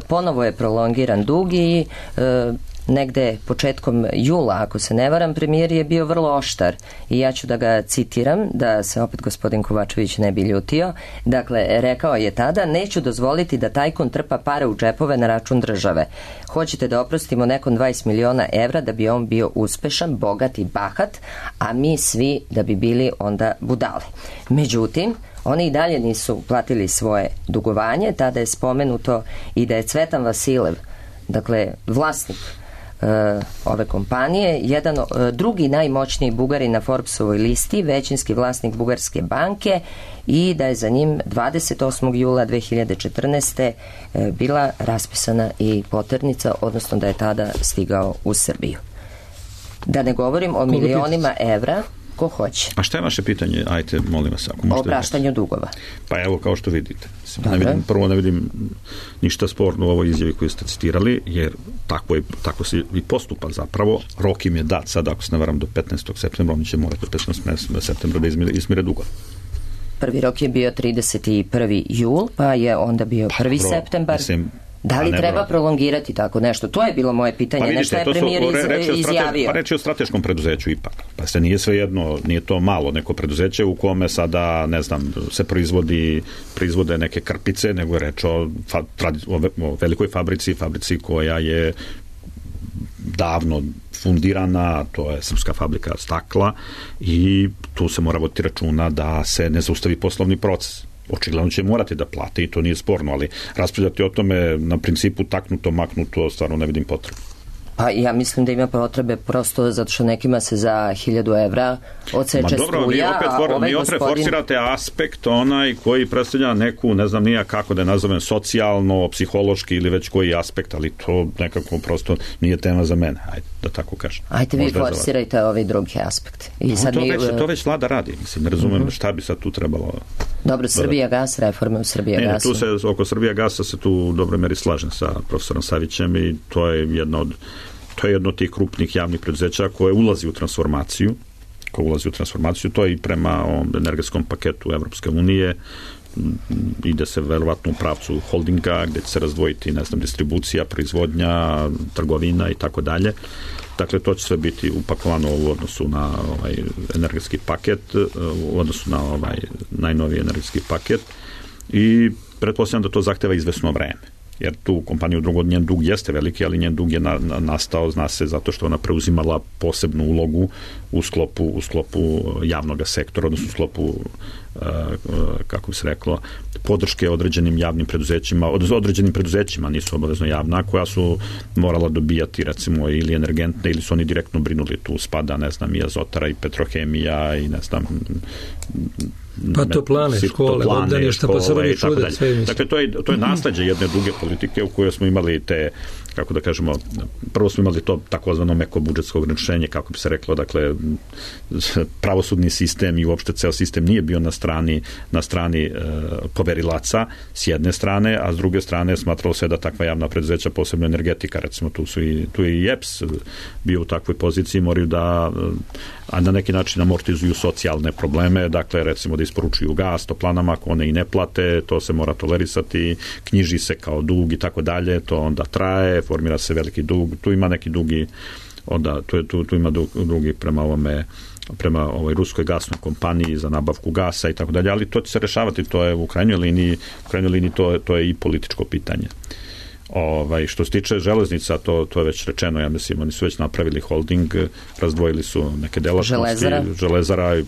ponovo je prolongiran dug i negde početkom jula, ako se ne varam, premijer je bio vrlo oštar i ja ću da ga citiram, da se opet gospodin Kovačević ne bi ljutio. Dakle, rekao je tada: neću dozvoliti da tajkun trpa pare u džepove na račun države. Hoćete da oprostimo nekom 20 miliona evra da bi on bio uspešan, bogat i bahat, a mi svi da bi bili onda budale. Međutim, oni i dalje nisu platili svoje dugovanje. Tada je spomenuto i da je Cvetan Vasilev, dakle vlasnik ove kompanije, drugi najmoćniji Bugarin na Forbesovoj listi, većinski vlasnik Bugarske banke, i da je za njim 28. jula 2014. bila raspisana i poternica, odnosno da je tada stigao u Srbiju. Da ne govorim o milionima evra. Ko hoće? A šta je vaše pitanje? Ajte, molim vas. O opraštanju dugova. Pa evo, kao što vidite. Prvo ne vidim ništa sporno u ovoj izjavi koju ste citirali, jer tako se i postupa zapravo. Rok im je dat sad, ako se ne varam, do 15. septembra, oni će morati do 15. septembra da izmire dugova. Prvi rok je bio 31. jul, pa je onda bio 1. septembar. Da li treba prolongirati tako nešto? To je bilo moje pitanje. Nešto je premijer izjavio. Pa reč je o strateškom preduzeću ipak. Pa se nije svejedno, nije to malo neko preduzeće u kome sada, ne znam, se proizvode neke krpice, nego je reč o velikoj fabrici koja je davno fundirana, to je srpska fabrika stakla, i tu se mora voditi računa da se ne zaustavi poslovni proces. Očigledno će morati da plate i to nije sporno, ali raspravljati o tome na principu taknuto, maknuto, stvarno ne vidim potrebu. Pa ja mislim da ima potrebe prosto zato što nekima se za 1000 evra odseče struja. Vi opet forsirate aspekt onaj koji predstavlja neku, ne znam nija kako da je nazovem, socijalno, psihološki ili već koji aspekt, ali to nekako prosto nije tema za mene, ajde da tako kažem. Ajde vi forsirajte ovaj drugi aspekt. To već vlada radi, mislim, ne razumem šta bi sad tu trebalo. Dobro, Srbijagas, reforme u Srbijagasu. Tu se, oko Srbijagasa se tu u dobroj meri slažem sa profesorom Savićem i to je jedno od tih krupnih javnih preduzeća koje ulazi u transformaciju. To je i prema energetskom paketu Evropske unije, ide se verovatno u pravcu holdinga gde će se razdvojiti, ne znam, distribucija, proizvodnja, trgovina i tako dalje. Dakle, to će sve biti upakovano u odnosu na ovaj energetski paket, u odnosu na ovaj najnoviji energetski paket, i pretpostavljam da to zahteva izvesno vreme. Jer tu kompaniju njen dug jeste veliki, ali njen dug je nastao, zna se, zato što ona preuzimala posebnu ulogu u sklopu javnog sektora, odnosno u sklopu kako bi se reklo, podrške određenim javnim preduzećima, određenim preduzećima, nisu obavezno javna, koja su morala dobijati recimo ili energentne, ili su oni direktno brinuli, tu spada, ne znam, i Azotara i Petrohemija i ne znam, pa toplane, škole, obdaništa, pa se rodi čude, sve mislim. Dakle, to je nasleđe jedne druge politike u kojoj smo imali te, kako da kažemo, prvo smo imali to takozvano meko budžetsko ograničenje, kako bi se reklo, dakle, pravosudni sistem i uopšte ceo sistem nije bio na strani poverilaca s jedne strane, a s druge strane smatralo se da takva javna preduzeća, posebno energetika, recimo tu je i EPS bio u takvoj poziciji, moraju da na neki način amortizuju socijalne probleme, dakle, recimo da isporučuju gas toplanama, ako one i ne plate, to se mora tolerisati, knjiži se kao dug i tako dalje, to onda traje, formira se veliki dug, tu ima neki dugi, onda tu ima drugi prema ovoj ruskoj gasnoj kompaniji za nabavku gasa i tako dalje, ali to će se rešavati, to je u krajnjoj liniji to je i političko pitanje. Što se tiče železnica, to je već rečeno, ja mislim, oni su već napravili holding, razdvojili su neke delatnosti. Železara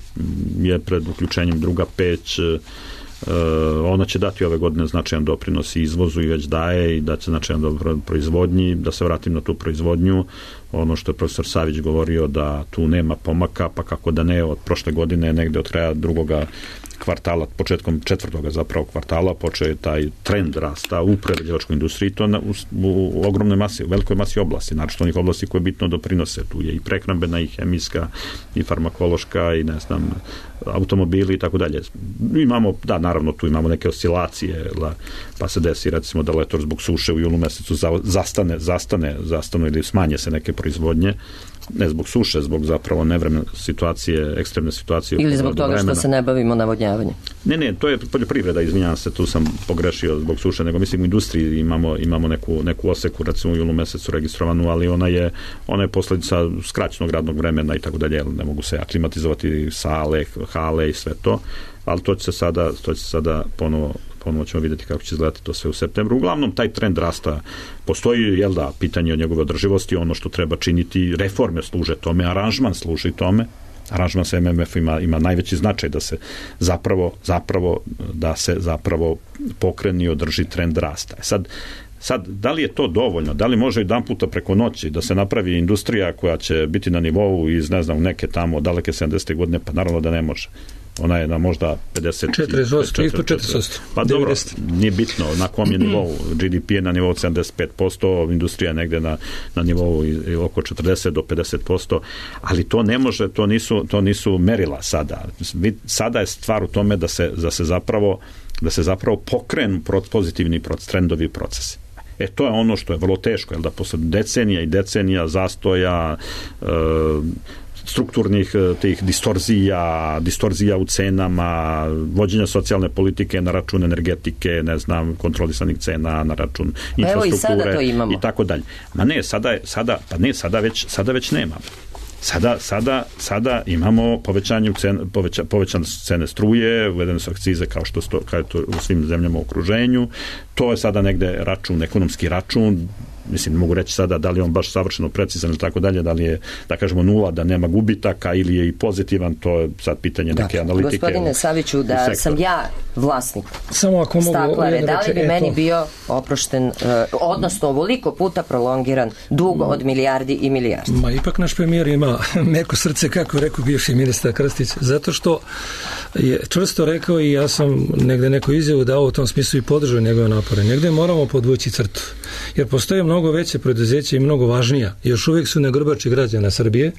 je pred uključenjem druga peć, ona će dati ove godine značajan doprinos i izvozu i već daje i da će značajan doprinos proizvodnji. Da se vratim na tu proizvodnju, ono što je profesor Savić govorio da tu nema pomaka, pa kako da ne, od prošle godine negde od kraja drugoga kvartala, početkom četvrtoga zapravo kvartala počeo je taj trend rasta u prerađivačkoj industriji, to u ogromnoj masi, u velikoj masi oblasti, znači onih oblasti koje bitno doprinose, tu je i prehrambena i hemijska i farmakološka i ne znam, automobili i tako dalje. Imamo, da, naravno tu imamo neke oscilacije, pa se desi recimo da letos zbog suše u julu mesecu zastane ili smanje se neke proizvodnje, ne zbog suše, zbog zapravo nevremene situacije, ekstremne situacije. Ili zbog toga što se ne bavimo navodnjavanjem. Ne, to je poljoprivreda, izvinjavam se, tu sam pogrešio zbog suše, nego mislim u industriji imamo neku oseku, recimo u julu mesecu registrovanu, ali ona je posljedica skraćenog radnog vremena i tako dalje, ne mogu se aklimatizovati sale, hale i sve to, ali to će se sada ponovo ćemo vidjeti kako će izgledati to sve u septembru. Uglavnom, taj trend rasta postoji, pitanje o njegove održivosti, ono što treba činiti, reforme služe tome, aranžman služi tome, aranžman sa MMF ima najveći značaj da se zapravo pokreni i održi trend rasta. Sad, da li je to dovoljno? Da li može jedan puta preko noći da se napravi industrija koja će biti na nivou iz, ne znam, neke tamo daleke 70. godine? Pa naravno da ne može. Ona je na možda 40%. Pa dobro, nije bitno na kom je nivou. GDP je na nivou 75%, industrija je negde na nivou oko 40 do 50%, ali to ne može, to nisu merila sada. Sada je stvar u tome da se zapravo pokrenu pozitivni trendovi procesi. To je ono što je vrlo teško, da posle decenija i decenija zastoja, strukturnih tih distorzija u cenama, vođenja socijalne politike na račun energetike, ne znam, kontrolisanih cena na račun infrastrukture i tako dalje. Ma ne, sada već nema. Sada imamo povećane cene struje, uvedene su akcize kao je to u svim zemljama u okruženju. To je sada negde ekonomski račun. Mislim, mogu reći sada da li je on baš savršeno precizan ili tako dalje, da li je, da kažemo, nula, da nema gubitaka ili je i pozitivan, to je sad pitanje neke analitike. Gospodine Saviću, da sam ja vlasnik staklare, da li bi meni bio oprošten, odnosno ovoliko puta prolongiran dug od milijardi i milijardi? Ma ipak naš premijer ima meko srce, kako rekao bivši ministar Krstić, zato što je čvrsto rekao i ja sam negde neku izjavu dao u tom smislu i podržao njegove napore. Negde moramo podvući crtu, jer postoje mnogo veće preduzeće i mnogo važnija. Još uvijek su na grbači građana Srbije,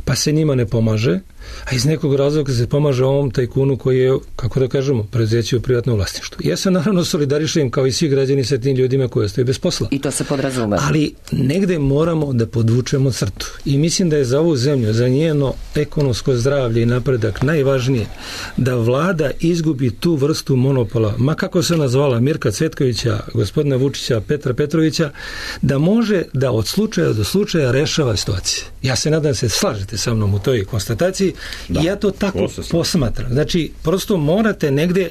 pa se njima ne pomaže, a iz nekog razloga se pomaže ovom tajkunu koji je, kako da kažemo, preduzeće u privatnom vlasništvu. Ja se naravno solidarišujem kao i svi građani sa tim ljudima koji ostaju bez posla. I to se podrazume. Ali negde moramo da podvučemo crtu. I mislim da je za ovu zemlju, za njeno ekonomsko zdravlje i napredak najvažnije da vlada izgubi tu vrstu monopola, ma kako se nazvala, Mirka Cvetkovića, gospodina Vučića, Petra Petrovića, da može da od slučaja do slučaja rešava situacije. Ja se nadam da se slažete sa mnom u toj konstataciji i ja to tako posmatram. Znači, prosto morate negde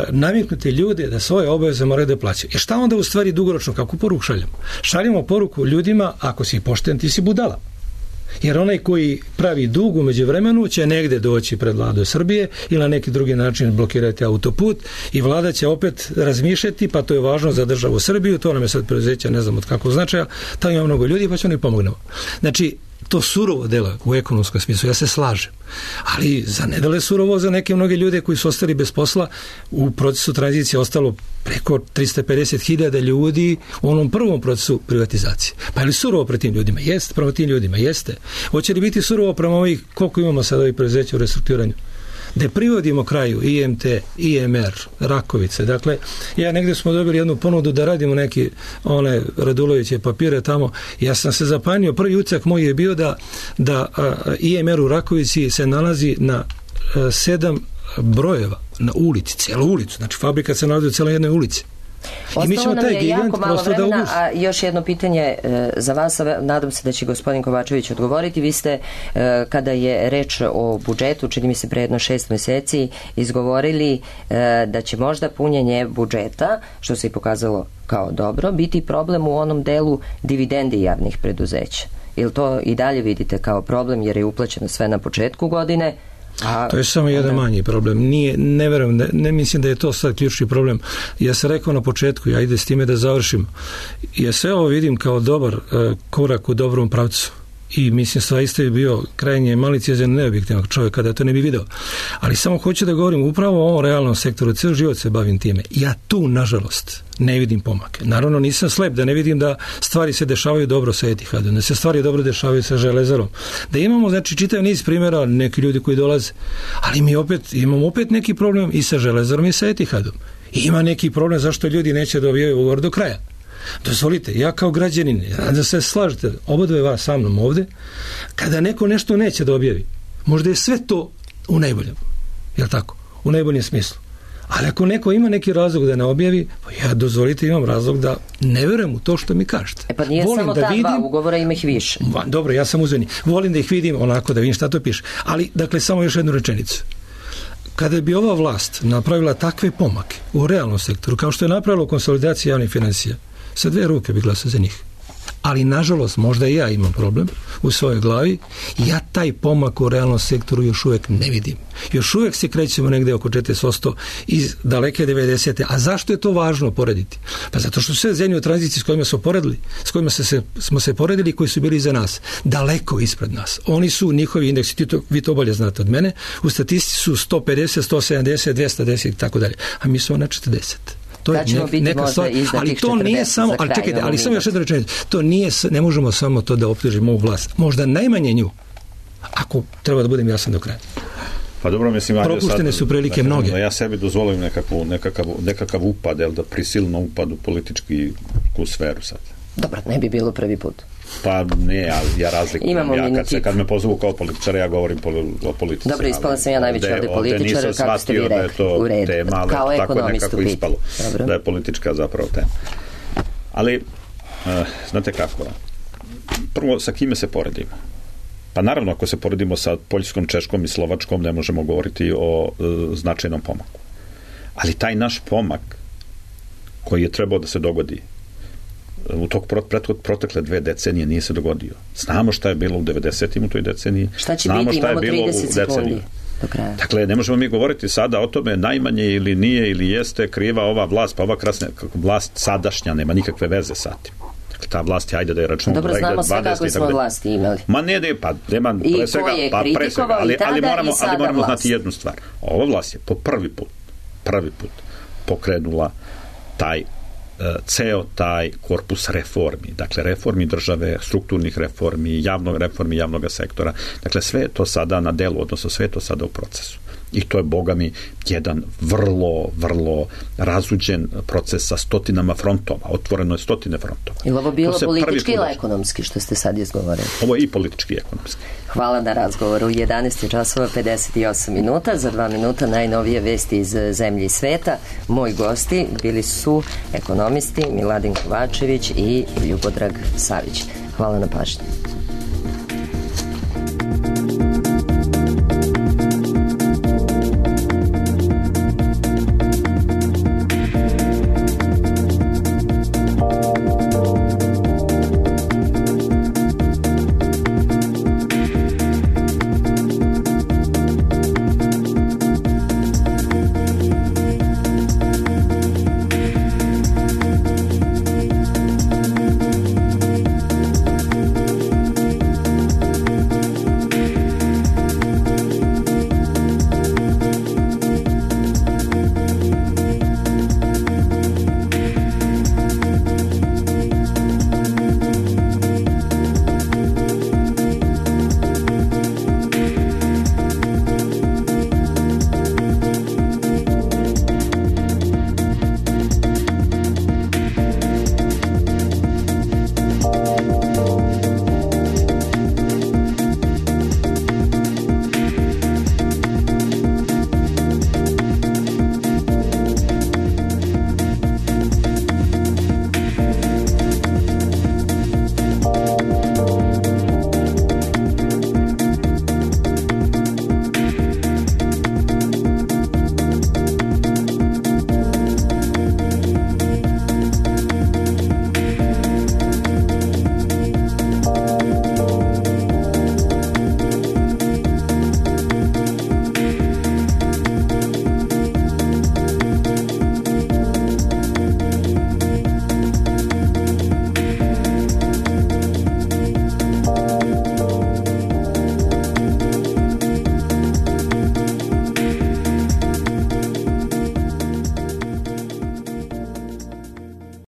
naviknuti ljude da svoje obaveze moraju da plaćaju. I šta onda u stvari dugoročno, kako poruku šaljamo? Šaljamo poruku ljudima, ako si pošten, ti si budala. Jer onaj koji pravi dug u međuvremenu će negde doći pred vladu Srbije ili na neki drugi način blokirati autoput i vlada će opet razmišljati, pa to je važno za državu Srbiju, to nam je sad preduzeća ne znam od kakvog značaja, tamo ima mnogo ljudi pa će oni pomognemo. Znači, to surovo dela u ekonomskom smislu, ja se slažem. Ali za ne dele surovo za neke mnoge ljude koji su ostali bez posla, u procesu tranzicije ostalo preko 350.000 ljudi u onom prvom procesu privatizacije. Pa je li surovo pre tim ljudima? Jeste, prema tim ljudima, jeste. Hoće li biti surovo prema ovih, koliko imamo sad ovih preduzeća u restrukturiranju? Da privodimo kraju IMT, IMR, Rakovice. Dakle, ja negde smo dobili jednu ponudu da radimo neki one Raduloviće papire tamo. Ja sam se zapanio, prvi utisak moj je bio da IMR u Rakovici se nalazi na 7 brojeva na ulici, celu ulicu. Znači, fabrika se nalazi u celoj jednoj ulici. Ostalo nam je jako malo vremena, a još jedno pitanje za vas, nadam se da će gospodin Kovačević odgovoriti. Vi ste, kada je reč o budžetu, čini mi se pre jedno 6 meseci, izgovorili da će možda punjenje budžeta, što se i pokazalo kao dobro, biti problem u onom delu dividendi javnih preduzeća. Ili to i dalje vidite kao problem jer je uplaćeno sve na početku godine? To je samo jedan manji problem. Ne verujem, ne mislim da je to sad ključni problem. Ja sam rekao na početku, ja ide s time da završim. Ja sve ovo vidim kao dobar korak u dobrom pravcu. I mislim stvarno je bio krajnje maliciozan neobjektivnog čovjeka da to ne bi video. Ali samo hoću da govorim upravo o ovom realnom sektoru, cijel život se bavim time. Ja tu, nažalost, ne vidim pomake. Naravno, nisam slep da ne vidim da stvari se dešavaju dobro sa Etihadom, da se stvari dobro dešavaju sa Železarom. Da imamo, znači, čitav niz primjera, neki ljudi koji dolaze, ali mi imamo opet neki problem i sa Železarom i sa Etihadom. I ima neki problem zašto ljudi neće dobijaju ugovor do kraja. Dozvolite, ja kao građanin, da se slažete, obadve vas sa mnom ovde, kada neko nešto neće da objavi, možda je sve to u najboljem, jel tako? U najboljem smislu. Ali ako neko ima neki razlog da ne objavi, pa ja, dozvolite, imam razlog da ne verujem u to što mi kažete. Pa nije volim samo da ta dva ugovora, ima ih više. Dobro, ja sam uzvani. Volim da ih vidim onako, da vidim šta to piše. Ali, dakle, samo još jednu rečenicu. Kada bi ova vlast napravila takve pomake u realnom sektoru, kao što je napravila u konsolidaciji javnih financija, sa 2 ruke bi glasao za njih. Ali, nažalost, možda i ja imam problem u svojoj glavi. Ja taj pomak u realnom sektoru još uvijek ne vidim. Još uvijek se krećemo negde oko 40% iz daleke 90. A zašto je to važno porediti? Pa zato što sve zemlje u tranziciji s kojima smo poredili, s kojima smo se poredili, koji su bili iza nas, daleko ispred nas. Oni su, njihovi indeksi, vi to bolje znate od mene, u statistici su 150, 170, 210 i tako dalje. A mi smo na 40. To je neka stvar, ali to nije samo, ali čekajte, ali samo još jedna rečenica, to nije, ne možemo samo to da optužimo ovu vlast, možda najmanje nju, ako treba da budem jasan do kraja. Pa dobro, mislim, propuštene su prilike mnoge. Ja sebi dozvolim nekakav upad, da prisilno upad u političku sferu sad. Dobro, ne bi bilo prvi put. Pa ne, ja razlikujem. Kad me pozovu kao političara, ja govorim o politici. Dobro, ispala sam ja najveći ovdje političar, kako ste vi rekli, u redu. Kao ekonomistu ispalo, da je politička zapravo tema. Ali, znate kako, prvo, sa kime se poredimo? Pa naravno, ako se poredimo sa Poljskom, Češkom i Slovačkom, ne možemo govoriti o značajnom pomaku. Ali taj naš pomak, koji je trebao da se dogodi u tog protekle 2 decenije, nije se dogodio. Znamo šta je bilo u 90-im u toj deceniji. Šta će biti? Imamo 30 sekundi do kraja. Dakle, ne možemo mi govoriti sada o tome najmanje ili nije ili jeste kriva ova vlast, pa ova vlast sadašnja nema nikakve veze sa tim. Dakle, ta vlast je, ajde da je računamo. Dobro, znamo sve kako smo vlasti imali. Ma ne, pa nema pre svega, ali moramo znati jednu stvar. Ova vlast je po prvi put pokrenula ceo taj korpus reformi, dakle reformi države, strukturnih reformi, javnog sektora, dakle sve je to sada na delu, odnosno sve je to sada u procesu. I to je, boga mi, jedan vrlo razuđen proces sa stotinama frontova, otvoreno je 100 frontova. Ili ovo bilo politički ili ekonomski, što ste sad izgovorili? Ovo je i politički i ekonomski. Hvala na razgovoru. 11 časova 58 minuta. Za 2 minuta najnovije vesti iz zemlje i sveta. Moji gosti bili su ekonomisti Miladin Kovačević i Ljubodrag Savić. Hvala na pažnji.